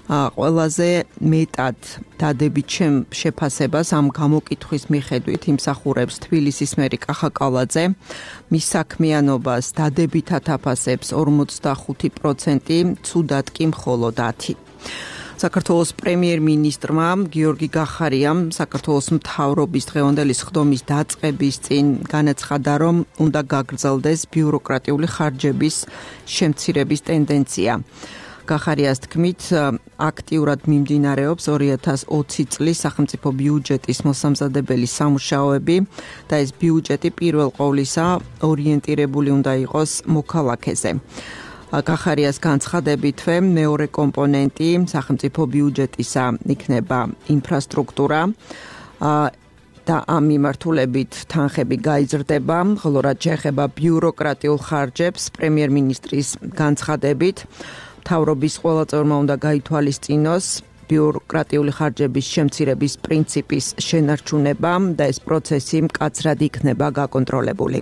ყველაზე მეტად დადებით შეფასებას ამ გამოკითხვის მიხედვით იმსახურებს თბილისის მერი კახა კალაძე, მის საქმიანობას დადებითად აფასებს ორმოცდახუთი პროცენტი, ცუდად კი მხოლოდ ათი. საქართველოს პრემიერ-მინისტრმა გიორგი გახარიამ საქართველოს მთავრობის დღევანდელი სხდომის დაწყების წინ განაცხადა, რომ უნდა გაგრძელდეს ბიუროკრატიული ხარჯების შემცირების ტენდენცია. გახარიას თქმით, აქტიურად მიმდინარეობს ორი ათას ოცი წლის სახელმწიფო ბიუჯეტის მოსამზადებელი სამუშაოები და ეს ბიუჯეტი პირველ ყოვლისა ორიენტირებული უნდა იყოს მოქალაქეზე. გახარიას განცხადებითვე მეორე კომპონენტი სახელმწიფო ბიუჯეტისა იქნება ინფრასტრუქტურა და ამ მიმართულებით თანხები გაიზრდება, ხოლო რაც შეეხება ბიუროკრატიულ ხარჯებს, პრემიერ-მინისტრის განცხადებით მთავრობის ყველა წევრმა უნდა გაითვალისწინოს ბიუროკრატიული ხარჯების შემცირების პრინციპის შენარჩუნება და ეს პროცესი მკაცრად იქნება გაკონტროლებული.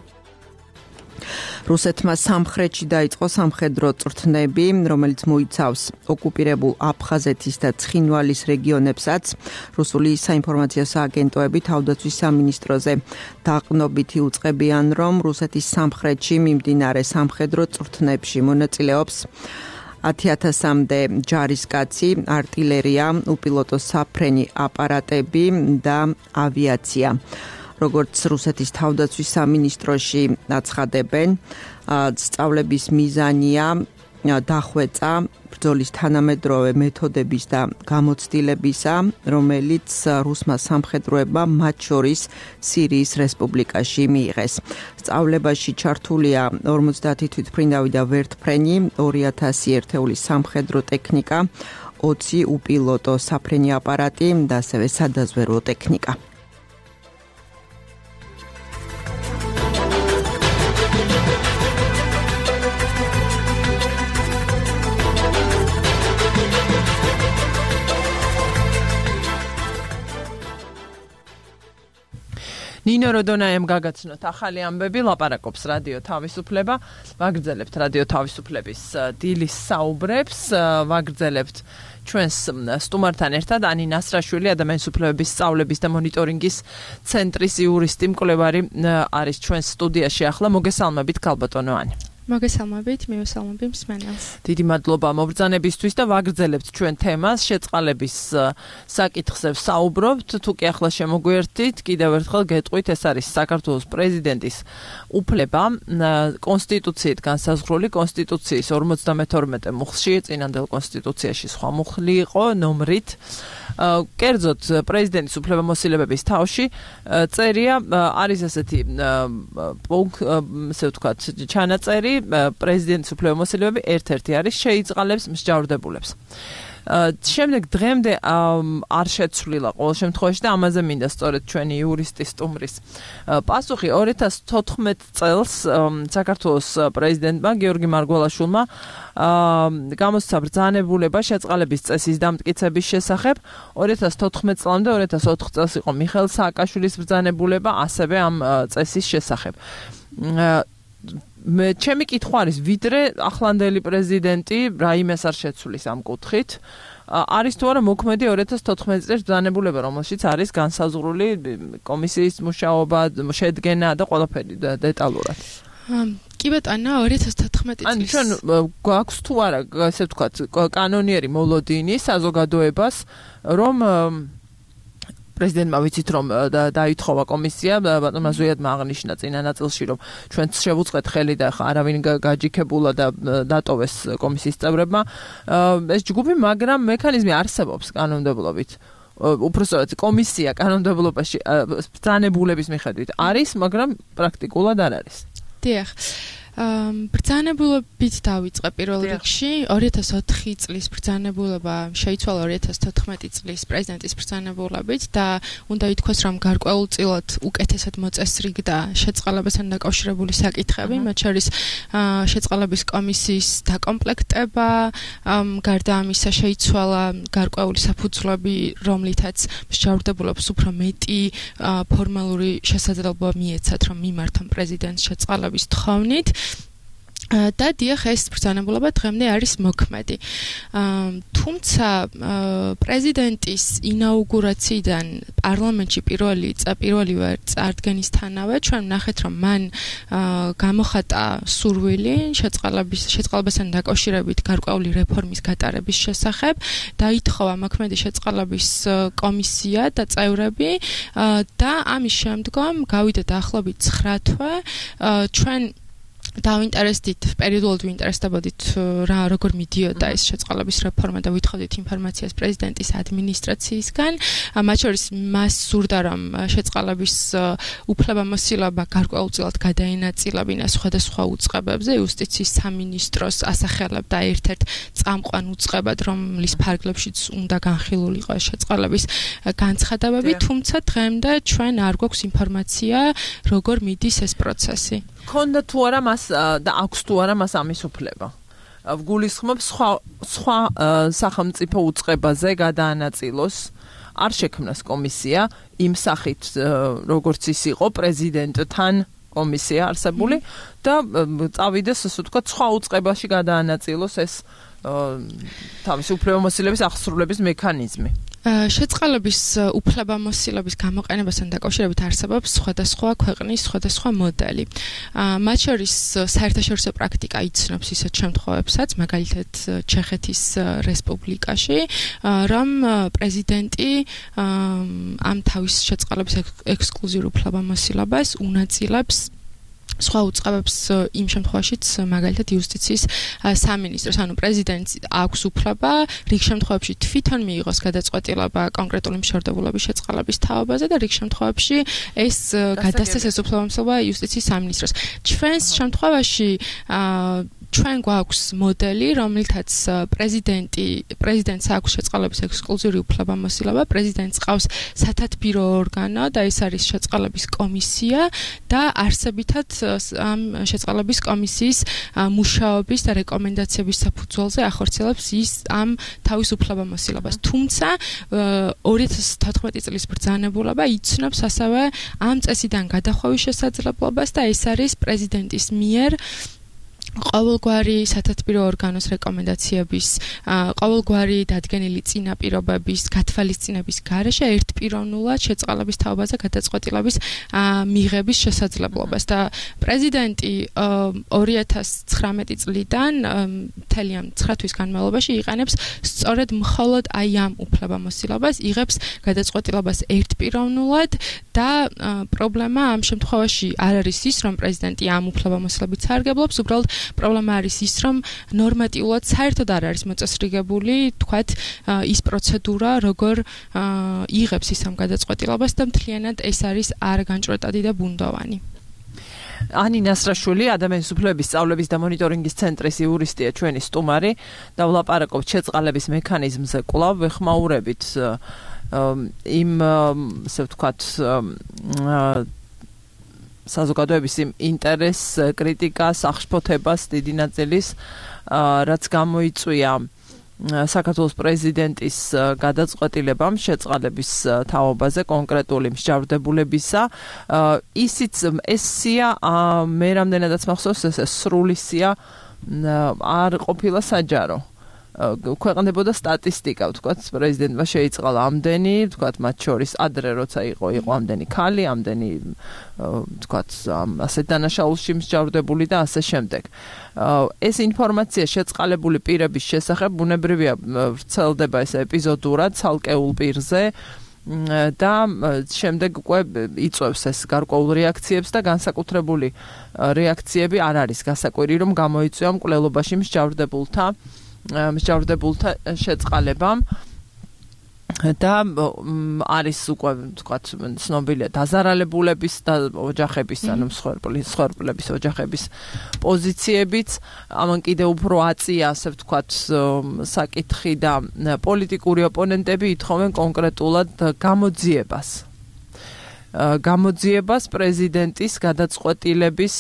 რუსეთმა სამხრეთში დაიწყო სამხედრო წვრთნები, რომელიც მოიცავს ოკუპირებულ აფხაზეთის და ცხინვალის რეგიონებსაც. რუსული საინფორმაციო სააგენტოები თავდაცვის სამინისტროზე დაყრდნობითი უწყებიან, რომ რუსეთის სამხრეთში მიმდინარე სამხედრო წვრთნებში მონაწილეობს ათი ათასამდე ჯარისკაცი, არტილერია, უპილოტო საფრენი აპარატები და ავიაცია. როგორც რუსეთის თავდაცვის სამინისტროში აცხადებენ, სწავლების მიზანია დახვეწა ბრძოლის თანამედროვე მეთოდების და გამოცდილებისა, რომელიც რუსმა სამხედროებმა მათ შორის სირიის რესპუბლიკაში მიიღეს. სწავლებაში ჩართულია ორმოცდაათი თვითმფრინავი და ვერტმფრენი, ორი ათასი ერთეული სამხედრო ტექნიკა, ოცი უპილოტო საფრენი აპარატი და ასევე სადაზვერვო ტექნიკა. ნინო როდონაიამ გაგაცნოთ ახალი ამბები, ლაპარაკობს რადიო თავისუფლება, ვაგრძელებთ რადიო თავისუფლების დილის საუბრებს, ვაგრძელებთ ჩვენს სტუმართან ერთად ანი ნასრაშვილი, ადამიანის უფლებების სწავლების და მონიტორინგის ცენტრის იურისტი, მკვლევარი არის ჩვენს სტუდიაში ახლა. მოგესალმებით, ქალბატონო ანი. მოგესალმებით, მივესალმები მსმენელს. დიდი მადლობა მობრძანებისთვის და ვაგრძელებთ ჩვენ თემას, შეწყალების საკითხზე ვსაუბრობთ. თუ კი ახლა შემოგვიერთდით, კიდევ ერთხელ გეტყვით, ეს არის საქართველოს პრეზიდენტის უფლება, კონსტიტუციით განსაზღვრული, კონსტიტუციის ორმოცდამეთორმეტე მუხლში, წინანდელ კონსტიტუციაში სხვა მუხლი იყო ნომრით. კერძოდ პრეზიდენტის უფლებამოსილებების თავში წერია, არის ასეთი ესე ვთქვათ, ჩანაწერი პრეზიდენტის უფლებამოსილებები ერთ-ერთი არის შეიწყალებს მსჯავრდებულებს. შემდეგ დღემდე არ შეცვლილა ყოველ შემთხვევაში და ამაზე მინდა სწორედ ჩვენი იურისტის სტუმრის პასუხი. ორი ათას თოთხმეტ წელს საქართველოს პრეზიდენტმა გიორგი მარგველაშვილმა გამოსცა ბრძანებულება შეწყალების წესის დამტკიცების შესახებ. ორი ათას თოთხმეტ წლამდე ორი ათას ოთხ წელს იყო მიხეილ სააკაშვილის ბრძანებულება ასევე ამ წესის შესახებ. მე ჩემი კითხვა არის, ვიდრე ახლანდელი პრეზიდენტი რაიმეს არ შეცვლის ამ კუთხით, არის თუ არა მოქმედი ორი ათას თოთხმეტ წლის ბრძანებულება, რომელშიც არის განსაზღვრული კომისიის მუშაობა, შედგენა და ყველაფერი დეტალურად. კი ბატონო, ორი ათას თოთხმეტი წლის. ან ჩვენ გვაქვს თუ არა, ესე ვთქვათ, კანონიერი მოლოდინი საზოგადოებას, რომ პრეზიდენტმა ვიცით რომ დაითხოვა კომისია, ბატონმა ზუიადმა აღნიშნა წინა ნაწილში, რომ ჩვენ შევუწყეთ ხელი და ხა არავინ გაჯიქებულა და დატოვეს კომისიის წევრებმა. ეს ჯგუფი, მაგრამ მექანიზმი არსებობს კანონმდებლობით. უпроსტად კომისია კანონმდებლობაში ბრძანებულების მიხედვით არის, მაგრამ პრაქტიკულად არ არის. დიახ. ბრძანებულებით დავიწყე პირველ რიგში. ორი ათას ოთხი წლის ბრძანებულება შეიცვალა ორი ათას თოთხმეტი წლის პრეზიდენტის ბრძანებულებით და უნდა ითქვას, რომ გარკვეულწილად უკეთესად მოწესრიგდა შეწყალებასთან დაკავშირებული საკითხები, მათ შორის შეწყალების კომისიის დაკომპლექტება, გარდა ამისა შეიცვალა გარკვეული საფუძვლები, რომლითაც მსჯავრდებულებს უფრო მეტი ფორმალური შესაძლებლობა მიეცათ, რომ მიმართონ პრეზიდენტს შეწყალების თხოვნით. და დიახ, ეს ბრძანებულება დღემდე არის მოქმედი. თუმცა პრეზიდენტის ინაუგურაციიდან პარლამენტში პირველი პირველივე წარდგენისთანავე ჩვენ ვნახეთ, რომ მან გამოხატა სურვილი შეწყალების შეწყალებასთან დაკავშირებით გარკვეული რეფორმის გატარების შესახებ, დაითხოვა მოქმედი შეწყალების კომისია და წევრები და ამის შემდგომ გავიდა დაახლოებით ცხრა თვე ჩვენ დავინტერესდით, პერიოდულად ვინტერესდებოდით რა როგორ მიდიოდა ეს შეწყალების რეფორმა და ვითხოვდით ინფორმაციას პრეზიდენტის ადმინისტრაციისგან. მათ შორის მას სურდა, რომ შეწყალების უფლებამოსილება გარკვეულწილად გადაენაწილებინა სხვადასხვა უწყებებზე, იუსტიციის სამინისტროს ასახელებდა ერთ-ერთ წამყვან უწყებად, რომლის ფარგლებშიც უნდა განხილულიყო შეწყალების განცხადებები, თუმცა დღემდე ჩვენ არ გვაქვს ინფორმაცია, როგორ მიდის ეს პროცესი. ქონდა თუ არა მას და აქვს თუ არა მას ამის უფლება. ვგულისხმობ სხვა სხვა სახელმწიფო უწყებაზე გადაანაწილოს, არ შექმნას კომისია იმ სახით, როგორც ის იყო პრეზიდენტთან კომისია არსებული და წავიდეს, ასე ვთქვათ, სხვა უწყებაში გადაანაწილოს ეს თავისი უფლებამოსილების აღსრულების მექანიზმი. შეწყალების უფლებამოსილების გამოყენებასთან დაკავშირებით არსებობს სხვადასხვა ქვეყნის სხვადასხვა მოდელი. მათ შორის საერთაშორისო პრაქტიკა იცნობს ისეთ შემთხვევებსაც, მაგალითად ჩეხეთის რესპუბლიკაში, რომ პრეზიდენტი ამ თავის შეწყალების ექსკლუზიურ უფლებამოსილებას უნაწილებს სხვა უწყებებს იმ შემთხვევაშიც, მაგალითად იუსტიციის სამინისტროს, ანუ პრეზიდენტს აქვს უფლება რიგ შემთხვევებში თვითონ მიიღოს გადაწყვეტილება კონკრეტული მშორდებულობის შეწყალების თაობაზე და რიგ შემთხვევებში ეს გადასცეს ეს უფლებამოსილება იუსტიციის სამინისტროს. ჩვენს შემთხვევაში ჩვენ გვაქვს მოდელი, რომელთაც პრეზიდენტი, პრეზიდენტს აქვს შეწყალების ექსკლუზიური უფლებამოსილება, პრეზიდენტს ყავს სათათბირო ორგანო და ეს არის შეწყალების კომისია და არსებითად ამ შეწყალების კომისიის მუშაობის და რეკომენდაციების საფუძველზე ახორციელებს ის ამ თავის უფლებამოსილებას. თუმცა ორი ათას თოთხმეტი წლის ბრძანებულება იცნობს ასევე ამ წესიდან გადახვევის შესაძლებლობას და ეს არის პრეზიდენტის მიერ ყოველგვარი სათათბირო ორგანოს რეკომენდაციების, ყოველგვარი დადგენილი წინაპირობების, გათვალისწინების გარეშე ერთპიროვნულად შეწყალების თაობაზე გადაწყვეტილების მიღების შესაძლებლობას და პრეზიდენტი ორი ათას ცხრამეტი წლიდან მთელი ამ ცხრა თვის განმავლობაში იყენებს სწორედ მხოლოდ აი ამ უფლებამოსილებას, იღებს გადაწყვეტილებას ერთპიროვნულად და პრობლემა ამ შემთხვევაში არ არის ის, რომ პრეზიდენტი ამ უფლებამოსილებით სარგებლობს, უბრალოდ პრობლემა არის ის, რომ ნორმატიულად საერთოდ არ არის მოწესრიგებული, თქვათ, ის პროცედურა, როგორ იღებს ის ამ გადაწყვეტილებას და მთლიანად ეს არის არგანჭვრეტადი და ბუნდოვანი. ანი ნასრაშვილი, ადამიანის უფლებების სწავლების და მონიტორინგის ცენტრის იურისტია, ჩვენი სტუმარი და ვლაპარაკობთ შეწყალების მექანიზმზე. კვლავ ვეხმაურებით იმ, ასე ვთქვათ, საზოგადოების ინტერესს, კრიტიკას, აღშფოთებას დიდი ნაწილის, რაც გამოიწვია საქართველოს პრეზიდენტის გადაწყვეტილებამ შეწყალების თაობაზე კონკრეტული მსჯავრდებულებისა. ისიც ეს სია მე რამდენადაც მახსოვს, ეს სრული სია არ ყოფილა საჯარო. ქვეყნდებოდა სტატისტიკა, ვთქვათ, პრეზიდენტმა შეიწყალა ამდენი, ვთქვათ, მათ შორის ადრე როცა იყო, იყო ამდენი ქალი, ამდენი, ვთქვათ, ასე დანაშაულში მსჯავრდებული და ასე შემდეგ. ეს ინფორმაცია შეწყალებული პირების შესახებ ბუნებრივია ვრცელდება ეს ეპიზოდურად ცალკეულ პირზე და შემდეგ უკვე იწვევს ეს გარკვეულ რეაქციებს და განსაკუთრებული რეაქციები არ არის გასაკვირი, რომ გამოიწვია მკვლელობაში მსჯავრდებულთა მსჯავრდებულთა შეწყალებამ და არის უკვე თქვათ ცნობილია დაზარალებულების და ოჯახების ანუ მსხვერპლების ოჯახების პოზიციებიც ამან კიდევ უფრო აწია ასე ვთქვათ საკითხი და პოლიტიკური ოპონენტები ითხოვენ კონკრეტულად გამოძიებას გამოძიებას პრეზიდენტის გადაწყვეტილების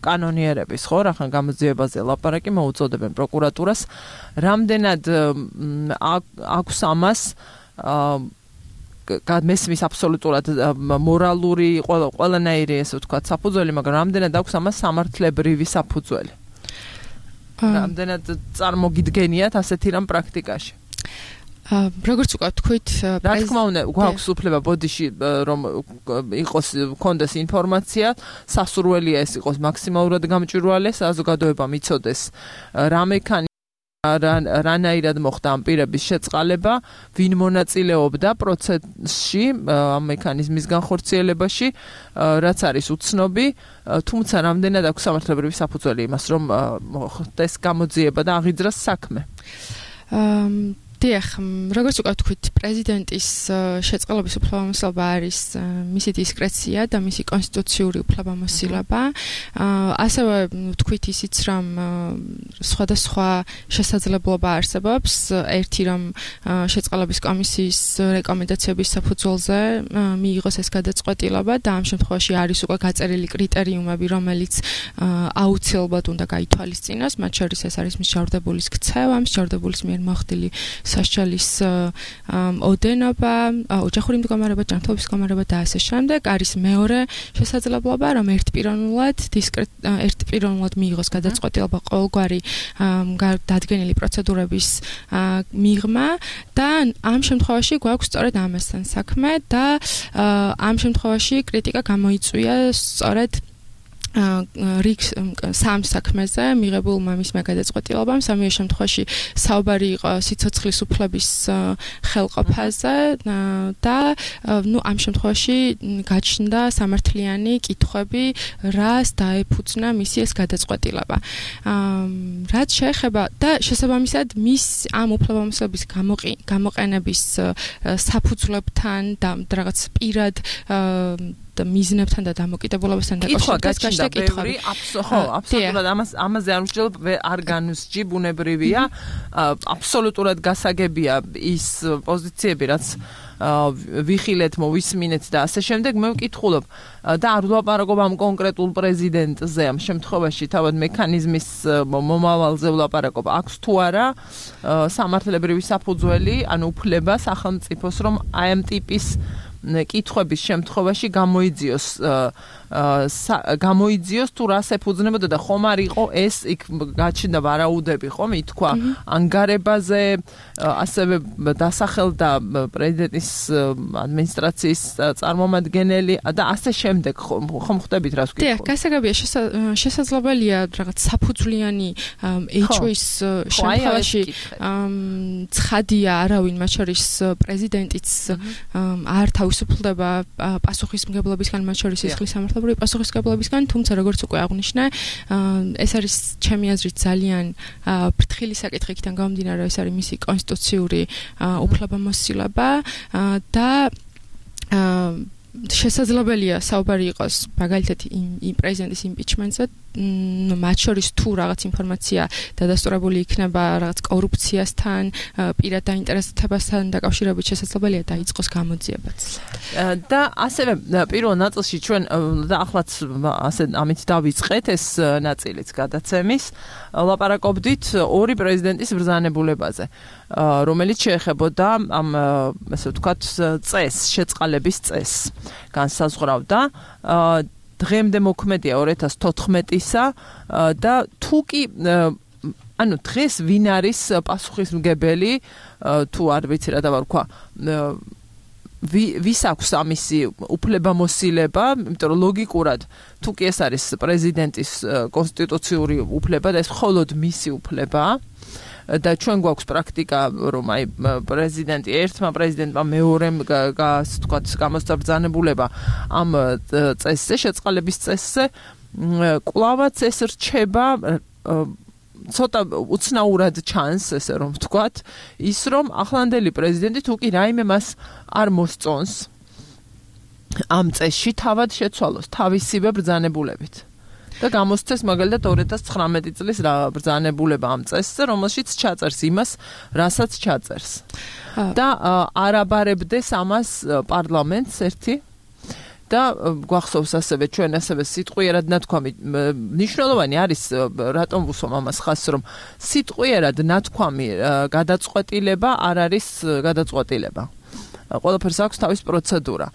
კანონიერების, ხო, რახან გამოძიებაზე ლაპარაკი მოუწოდებენ პროკურატურას, რამდენად აქვს ამას მესმის აბსოლუტურად მორალური ყველანაირი ესე ვთქვათ საფუძველი, მაგრამ რამდენად აქვს ამას სამართლებრივი საფუძველი. რამდენად წარმოგიდგენიათ ასეთი რამ პრაქტიკაში? როგორც უკვე თქვით, რა თქმა უნდა, გვაქვს უფლება ბოდიში რომ იყოს კონდეს ინფორმაცია, სასურველია ეს იყოს მაქსიმალურად გამჭვირვალე, საზოგადოებამ იცოდეს რა მექანი რანაირად მოხდა ამ პირების შეწყალება, ვინ მონაწილეობდა პროცესში, ამ მექანიზმის განხორციელებაში, რაც არის უცნობი, თუმცა რამდენად აქვს სამართლებრივი საფუძველი იმას, რომ ხდეს გამოძიება და აღიძრას საქმე. დიახ, როგორც უკვე თქვით, პრეზიდენტის შეწყალების უფლებამოსილება არის მისი დისკრეცია და მისი კონსტიტუციური უფლებამოსილება. ასევე თქვით ისიც, რომ სხვადასხვა შესაძლებლობა არსებობს, ერთი რომ შეწყალების კომისიის რეკომენდაციების საფუძველზე მიიღოს ეს გადაწყვეტილება და ამ შემთხვევაში არის უკვე გაწერილი კრიტერიუმები, რომელიც აუცილებლად უნდა გაითვალისწინოს, მათ შორის ეს არის მსჯავრდებულის ქცევა, მსჯავრდებულის მიერ მოხდილი სასჯელის ოდენობა, ოჯახური მდგომარეობა, ჯანმრთელობის მდგომარეობა და ასე შემდეგ. არის მეორე შესაძლებლობა, რომ ერთპიროვნულად ერთპიროვნულად მიიღოს გადაწყვეტილება ყოველგვარი დადგენილი პროცედურების მიღმა და ამ შემთხვევაში გვაქვს სწორედ ამასთან საქმე და ამ შემთხვევაში კრიტიკა გამოიწვია სწორედ რიგ სამ საქმეზე მიღებულ მამის გადაწყვეტილებამ. სამივე შემთხვევაში საუბარი იყო სიცოცხლის უფლების ხელყოფაზე და ნუ ამ შემთხვევაში გაჩნდა სამართლიანი კითხვები, რას დაეფუძნა მისი ეს გადაწყვეტილება. რაც შეეხება და შესაბამისად მის ამ უფლებამოსილების გამოყენების საფუძვლებთან და რაღაც პირად მიზნებთან და დამოკიდებულებასთან დაკავშირებით გაჩნდა კითხვები. ხო, აბსოლუტურად ამას ამაზე არ ვსჯელობ, არ განვსჯი, ბუნებრივია. აბსოლუტურად გასაგებია ის პოზიციები, რაც ვიხილეთ, მოვისმინეთ და ასე შემდეგ. მე ვკითხულობ და არ ვლაპარაკობ ამ კონკრეტულ პრეზიდენტზე, ამ შემთხვევაში თავად მექანიზმის მომავალზე ვლაპარაკობ. აქვს თუ არა სამართლებრივი საფუძველი, ანუ უფლება სახელმწიფოს, რომ აი ამ ტიპის კითხვების შემთხვევაში გამოიძიოს გამოიძიოს თუ რას ეფუძნებოდა და ხომ არ იყო ეს იქ გაჩნდა ვარაუდები, ხომ ითქვა ანგარებაზე, ასევე დასახელდა პრეზიდენტის ადმინისტრაციის წარმომადგენელი და ასე შემდეგ, ხომ ხვდებით რას ვკითხულობ? დიახ, გასაგებია, შესაძლებელია რაღაც საფუძვლიანი ეჭვის შემთხვევაში ცხადია არავინ, მათ შორის პრეზიდენტიც არ თავისუფლდება პასუხისმგებლობისგან, მათ შორის სისხლის სამართლებრივი პასუხისმგებლობისგან, თუმცა როგორც უკვე აღვნიშნე, ეს არის ჩემი აზრით ძალიან ფრთხილი საკითხი, იქიდან გამომდინარე, ეს არის მისი კონსტიტუციური უფლებამოსილება და შესაძლებელია საუბარი იყოს მაგალითად იმ პრეზიდენტის იმპიჩმენტზე, მათ შორის თუ რაღაც ინფორმაცია დადასტურებული იქნება რაღაც კორუფციასთან, პირად დაინტერესებასთან დაკავშირებით, შესაძლებელია დაიწყოს გამოძიებაც. და ასევე პირველ ნაწილში ჩვენ და ახლაც ასე ამით დავიწყეთ ეს ნაწილიც გადაცემის, ლაპარაკობდით ორი პრეზიდენტის ბრძანებულებაზე, რომელიც შეეხებოდა ამ ასე ვთქვათ წესს, შეწყალების წესს. განსაზღვრავდა დღემდე მოქმედია ორი ათას თოთხმეტისა და თუ კი ანუ დღეს ვინ არის პასუხისმგებელი თუ არ ვიცი რა დავარქვა ვის აქვს ამისი უფლებამოსილება, იმიტომ რომ ლოგიკურად თუ კი ეს არის პრეზიდენტის კონსტიტუციური უფლება და ეს მხოლოდ მისი უფლებაა და ჩვენ გვაქვს პრაქტიკა, რომ აი პრეზიდენტი ერთმა პრეზიდენტმა მეორემ ასე ვთქვათ გამოსცა ბრძანებულება ამ წესზე, შეწყალების წესზე, კვლავაც ეს რჩება ცოტა უცნაურად ჩანს, ესე რომ ვთქვათ, ის რომ ახლანდელი პრეზიდენტი თუ კი რაიმე მას არ მოსწონს ამ წესში თავად შეცვალოს თავისივე ბრძანებულებით. და გამოსცეს მაგალითად ორი ათას ცხრამეტი წლის რა ბრძანებულება ამ წესზე, რომელშიც ჩაწერს იმას, რასაც ჩაწერს. და არაბარებდეს ამას პარლამენტს ერთი და გვახსოვს ასევე ჩვენ ასევე სიტყვიერად ნათქვამი მნიშვნელოვანი არის, რატომ ვუსვამ ამას ხაზს, რომ სიტყვიერად ნათქვამი გადაწყვეტილება არ არის გადაწყვეტილება. ყველაფერს აქვს თავის პროცედურა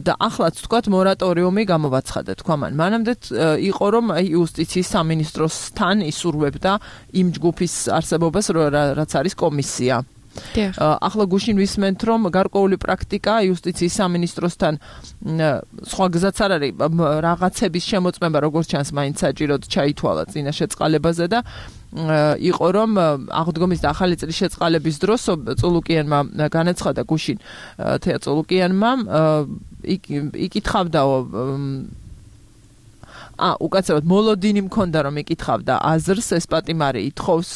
და ახლაც თქვათ მორატორიუმი გამოვაცხადა თქვა მან. მანამდე იყო რომ იუსტიციის სამინისტროსთან ისურვებდა იმ ჯგუფის არსებობას, რაც არის კომისია. ახლა გუშინ ვისმენთ, რომ გარკვეული პრაქტიკა იუსტიციის სამინისტროსთან სხვა გზაც არ არის რაღაცების შემოწმება, როგორც ჩანს, მაინც საჭიროდ ჩაითვალა წინა შეწყალებაზე და იყო რომ აღდგომის და ახალი წლის შეწყალების დროს წულუკიანმა განაცხადა გუშინ თეა წულუკიანმა იკითხავდაო ა უკაცრავად მოლოდინი მქონდა რომ იკითხავდა აზრს, ეს პატიმარი ითხოვს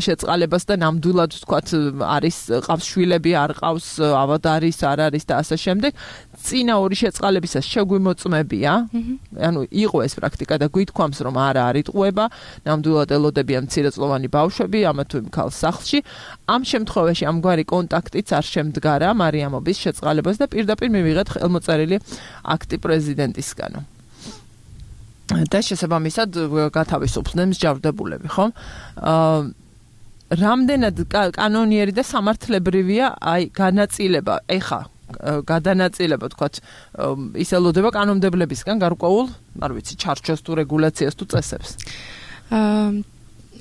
შეწყალებას და ნამდვილად ვთქვათ არის ყავს შვილები, არ ყავს, ავად არის, არ არის და ასე შემდეგ. წინა ორი შეწყალებისას შეგვიმოწმებია, ანუ იყო ეს პრაქტიკა და გვითქვამს რომ არა არ იტყუება, ნამდვილად ელოდებიან მცირეწლოვანი ბავშვები, ამა თუ იმ ქალს სახლში. ამ შემთხვევაში ამგვარი კონტაქტიც არ შემდგარა მარიამობის შეწყალებას და პირდაპირ მივიღეთ ხელმოწერილი აქტი პრეზიდენტისგანო. და შესაბამისად გათავისუფლდნენ მსჯავრდებულები, ხო? აა რამდენად კანონიერი და სამართლებრივია აი განაწილება, ეხა გადანაწილება, თქვათ, ის ელოდება კანონმდებლებისგან გარკვეულ, არ ვიცი, ჩარჩოს თუ რეგულაციას თუ წესებს. აა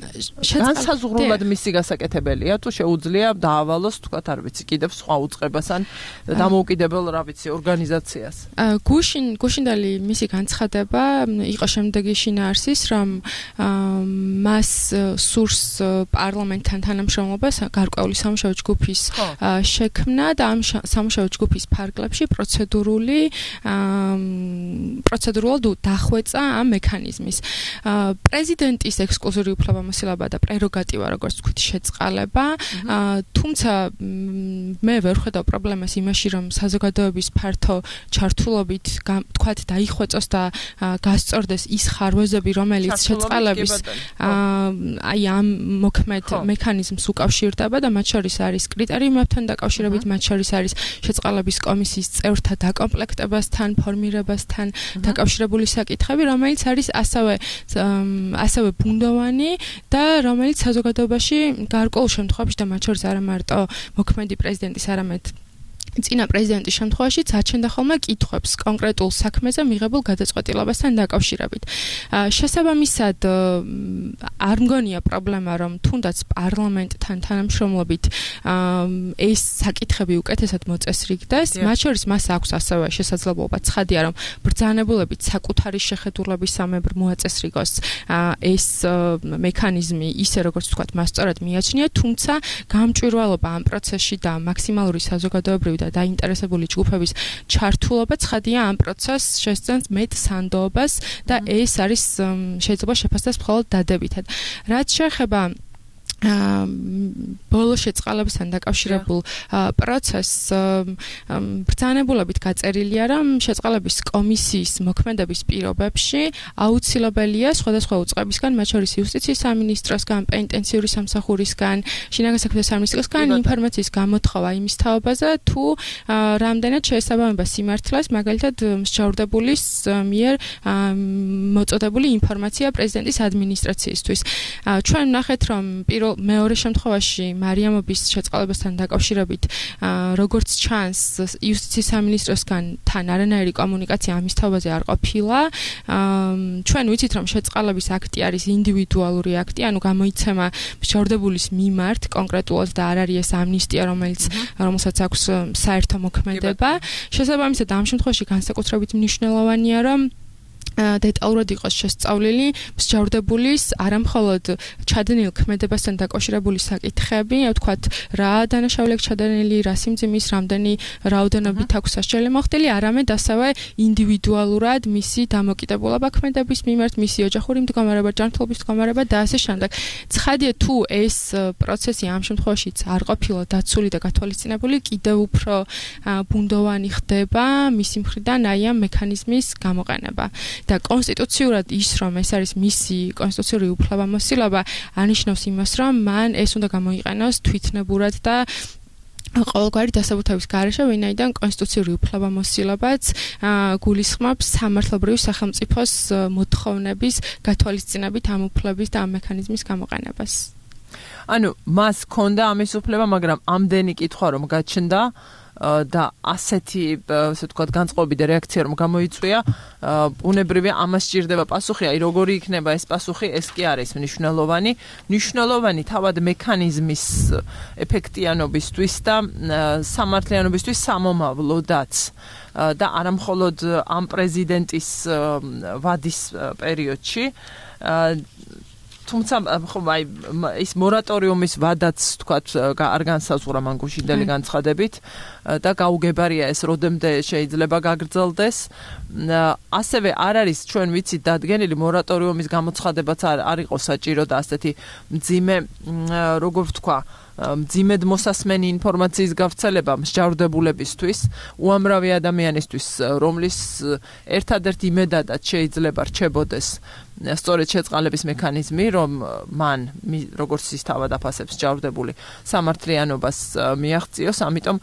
განსაზღვრულად მისი გასაკეთებელია, თუ შეუძლია დაავალოს, თქვათ, არ ვიცი, კიდევ სხვა უწყებას ან დამოუკიდებელ, რა ვიცი, ორგანიზაციას. გუშინ, გუშინდელი მისი განცხადება იყო შემდეგი შინაარსის, რომ მას სურს პარლამენტთან თანამშრომლობა გარკვეული სამუშაო ჯგუფის შექმნა და ამ სამუშაო ჯგუფის ფარგლებში პროცედურული პროცედურულად დახვეწა ამ მექანიზმის. პრეზიდენტის ექსკლუზიური უფლება უფლებამოსილება და პრეროგატივა, როგორც ვთქვით, შეწყალება. თუმცა მე ვერ ხედავ პრობლემას იმაში, რომ საზოგადოების ფართო ჩართულობით თქვათ დაიხვეწოს და გასწორდეს ის ხარვეზები, რომელიც შეწყალების აი ამ მოქმედ მექანიზმს უკავშირდება და მათ შორის არის კრიტერიუმებთან დაკავშირებით, მათ შორის არის შეწყალების კომისიის წევრთა დაკომპლექტებასთან, ფორმირებასთან დაკავშირებული საკითხები, რომელიც არის ასევე ასევე ბუნდოვანი და რომელიც საზოგადოებაში გარკვეულ შემთხვევაში და მათ შორის არა მარტო მოქმედი პრეზიდენტის, არამედ წინა პრეზიდენტის შემთხვევაში აჩენდა ხოლმე კითხვებს კონკრეტულ საქმეზე მიღებულ გადაწყვეტილებასთან დაკავშირებით. შესაბამისად არ მგონია პრობლემა, რომ თუნდაც პარლამენტთან თანამშრომლობით ეს საკითხები უკეთესად მოწესრიგდეს. მათ შორის მას აქვს ასევე შესაძლებლობა ცხადია, რომ ბრძანებულებით საკუთარი შეხედულებისამებრ მოაწესრიგოს ეს მექანიზმი ისე, როგორც ვთქვათ, მას სწორად მიაჩნია, თუმცა გამჭვირვალობა ამ პროცესში და მაქსიმალური საზოგადოებრივი და დაინტერესებული ჯგუფების ჩართულობა ცხადია ამ პროცესს შესწევს მეტ სანდოობას და ეს არის შეიძლება შეფასდეს მხოლოდ დადებითად. რაც შეეხება ბოლო შეწყალებასთან დაკავშირებულ პროცესს ბრძანებულებით გაწერილია, რომ შეწყალების კომისიის მოქმედების პირობებში აუცილებელია სხვადასხვა უწყებისგან, მათ შორის იუსტიციის სამინისტროსგან, პენიტენციური სამსახურისგან, შინაგან საქმეთა სამინისტროსგან ინფორმაციის გამოთხოვა იმის თაობაზე, თუ რამდენად შეესაბამება სიმართლეს, მაგალითად მსჯავრდებულის მიერ მოწოდებული ინფორმაცია პრეზიდენტის ადმინისტრაციისთვის. ჩვენ ვნახეთ, რომ პირველ მეორე შემთხვევაში მარიამობის შეწყალებასთან დაკავშირებით როგორც ჩანს იუსტიციის სამინისტროსგან თან არანაირი კომუნიკაცია ამის თაობაზე არ ყოფილა. ჩვენ ვიცით, რომ შეწყალების აქტი არის ინდივიდუალური აქტი, ანუ გამოიცემა მსჯავრდებულის მიმართ კონკრეტულად და არ არის ეს ამნისტია, რომელიც რომელსაც აქვს საერთო მოქმედება. შესაბამისად ამ შემთხვევაში განსაკუთრებით მნიშვნელოვანია, რომ დეტალურად იყოს შესწავლილი მსჯავრდებულის არამხოლოდ ჩადენილ ქმედებასთან დაკავშირებული საკითხები, ვთქვათ, რა დანაშაული აქვს ჩადენილი, რა სიმძიმის, რამდენი რაოდენობით აქვს სასჯელი მოხდილი, არამედ ასევე ინდივიდუალურად მისი დამოკიდებულება ქმედების მიმართ, მისი ოჯახური მდგომარეობა, ჯანმრთელობის მდგომარეობა და ასე შემდეგ. ცხადია, თუ ეს პროცესი ამ შემთხვევაშიც არ ყოფილა დაცული და გათვალისწინებული, კიდევ უფრო ბუნდოვანი ხდება მისი მხრიდან აი ამ მექანიზმის გამოყენება. და კონსტიტუციურად ის, რომ ეს არის მისი კონსტიტუციური უფლებამოსილება, ანიშნავს იმას, რომ მან ეს უნდა გამოიყენოს თვითნებურად და ყოველგვარი დასაბუთების გარეშე, ვინაიდან კონსტიტუციური უფლებამოსილებაც გულისხმობს სამართლებრივი სახელმწიფოს მოთხოვნების გათვალისწინებით ამ უფლების და ამ მექანიზმის გამოყენებას. ანუ მას ჰქონდა ამის უფლება, მაგრამ ამდენი კითხვა რომ გაჩნდა და ასეთი, ასე ვთქვათ, განწყობები და რეაქცია რომ გამოიწვია, უნებრივია ამას სჭირდება პასუხი, აი როგორი იქნება ეს პასუხი, ეს კი არის მნიშვნელოვანი, მნიშვნელოვანი თავად მექანიზმის ეფექტიანობისთვის და სამართლიანობისთვის სამომავლოდაც და არამხოლოდ ამ პრეზიდენტის ვადის პერიოდში. თუმცა ხომ აი ის მორატორიუმის ვადაც თქვათ არ განსაზღვრა მან გუშინდელი განცხადებით და გაუგებარია ეს როდემდე შეიძლება გაგრძელდეს. ასევე არ არის ჩვენ ვიცით დადგენილი მორატორიუმის გამოცხადებაც არ იყო საჭირო და ასეთი მძიმე როგორ ვთქვა მძიმედ მოსასმენი ინფორმაციის გავრცელება მსჯავრდებულებისთვის, უამრავი ადამიანისთვის, რომლის ერთადერთი იმედადაც შეიძლება რჩებოდეს სწორედ შეწყალების მექანიზმი, რომ მან როგორც ის თავად აფასებს მსჯავრდებული სამართლიანობას მიაღწიოს, ამიტომ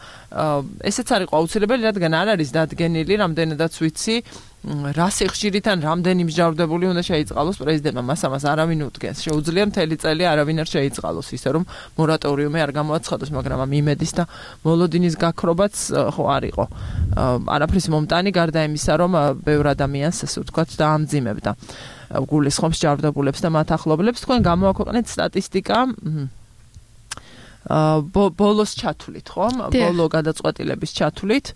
ესეც არ იყო აუცილებელი, რადგან არ არის დადგენილი, რამდენადაც ვიცი, რა სიხშირით ან რამდენი მსჯავრდებული უნდა შეიწყალოს პრეზიდენტმა, მას ამას არავინ უდგენს. შეუძლია მთელი წელი არავინ არ შეიწყალოს, ისე რომ მორატორიუმი არ გამოაცხადოს, მაგრამ ამ იმედის და მოლოდინის გაქრობაც ხო არ იყო. არაფრის მომტანი გარდა იმისა, რომ ბევრ ადამიანს ასე ვთქვათ დაამძიმებდა. გულისხმობს მსჯავრდებულებს და მათ ახლობლებს. თქვენ გამოაქვეყნეთ სტატისტიკა ბოლოს ჩათვლით, ხომ? ბოლო გადაწყვეტილების ჩათვლით,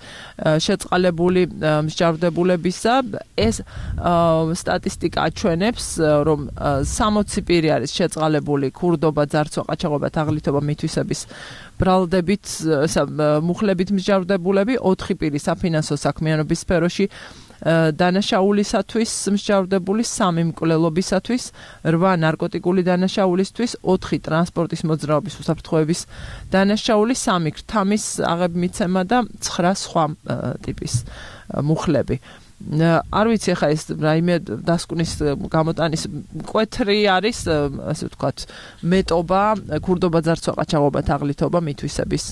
შეწყალებული მსჯავრდებულებისა, ეს სტატისტიკა აჩვენებს, რომ სამოცი პირი არის შეწყალებული ქურდობა, ძარცვა, ყაჩაღობა, თაღლითობა, მითვისების ბრალდებით, მუხლებით მსჯავრდებულები, ოთხი პირი საფინანსო საქმიანობის სფეროში დანაშაულისათვის მსჯავრდებული, სამი მკვლელობისათვის, რვა ნარკოტიკული დანაშაულისთვის, ოთხი ტრანსპორტის მოძრაობის უსაფრთხოების დანაშაული, სამი ქრთამის აღებმიცემა და ცხრა სხვა ტიპის მუხლები. არ ვიცი ახლა ეს რაიმე დასკვნის გამოტანის მკვეთრი არის, ასე ვთქვათ, მეტობა, ქურდობა, ძარცვა, ყაჩაღობა, თაღლითობა, მითვისების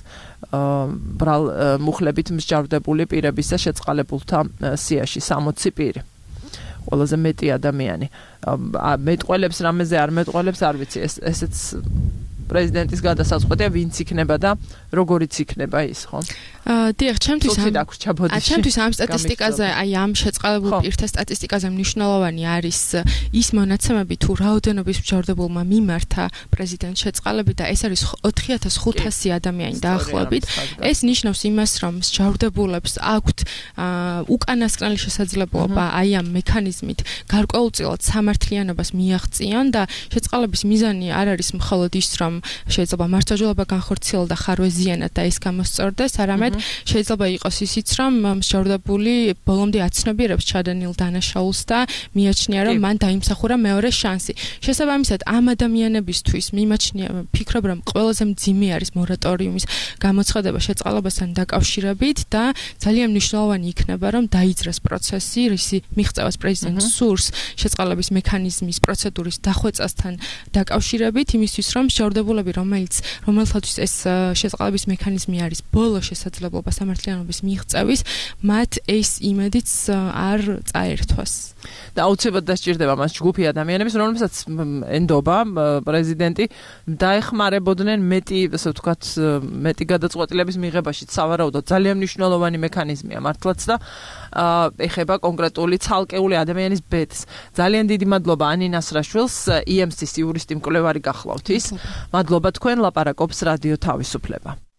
ბრალ მუხლებით მსჯავრდებული პირების და შეწყალებულთა სიაში სამოცი პირი. ყველაზე მეტი ადამიანი. მეტყველებს რამეზე არ მეტყველებს, არ ვიცი, ეს ესეც პრეზიდენტის გადასაწყვეტია, ვინც იქნება და როგორიც იქნება ის, ხო? აა, დიახ, ჩემთვის ამ აა, ჩემთვის ამ სტატისტიკაზე, აი ამ შეწყალებულ პირთა სტატისტიკაზე მნიშვნელოვანი არის ის მონაცემები, თუ რაოდენობის მსჯავრდებულმა მიმართა პრეზიდენტ შეწყალები და ეს არის ოთხი ათას ხუთასი ადამიანი დაახლოებით. ეს ნიშნავს იმას, რომ მსჯავრდებულებს აქვთ უკანასკნელი შესაძლებლობა აი ამ მექანიზმით გარკვეულწილად სამართლიანობას მიაღწიონ და შეწყალების მიზანი არ არის მხოლოდ ის, რომ შეიძლება მართლმსაჯულება განხორციელოს და ხარვეზიანად და ეს გამოსწორდეს, არამედ შეიძლება იყოს ისიც, რომ მსჯავრდებული ბოლომდე აცნობიერებს ჩადენილ დანაშაულს და მიაჩნია, რომ მან დაიმსახურა მეორე შანსი. შესაბამისად, ამ ადამიანებისთვის მიმაჩნია, ფიქრობ, რომ ყველაზე მძიმე არის მორატორიუმის გამოცხადება შეწყალებასთან დაკავშირებით და ძალიან მნიშვნელოვანი იქნება, რომ დაიძრას პროცესი, რისი მიღწევას პრეზიდენტს სურს შეწყალების მექანიზმის პროცედურის დახვეწასთან დაკავშირებით, იმისთვის, რომ მსჯავრდებულები, რომელიც რომელთათვის ეს შეწყალების მექანიზმი არის ბოლო შესაძლებლობა სამართლიანობის მიღწევის, მათ ეს იმედიც არ წაერთვას. და აუცილებლად დასჭირდება მას ჯგუფი ადამიანების, რომელსაც ენდობა პრეზიდენტი დაეხმარებოდნენ მეტი, ასე ვთქვათ, მეტი გადაწყვეტილების მიღებაში, სავარაუდოდ ძალიან მნიშვნელოვანი მექანიზმია მართლაც და ეხება კონკრეტული ცალკეული ადამიანის ბედს. ძალიან დიდი მადლობა ანინას რაშვილს, ი ემ სის იურისტი მკვლევარი გახლავთ ის. მადლობა თქვენ, ლაპარაკობს რადიო თავისუფლება.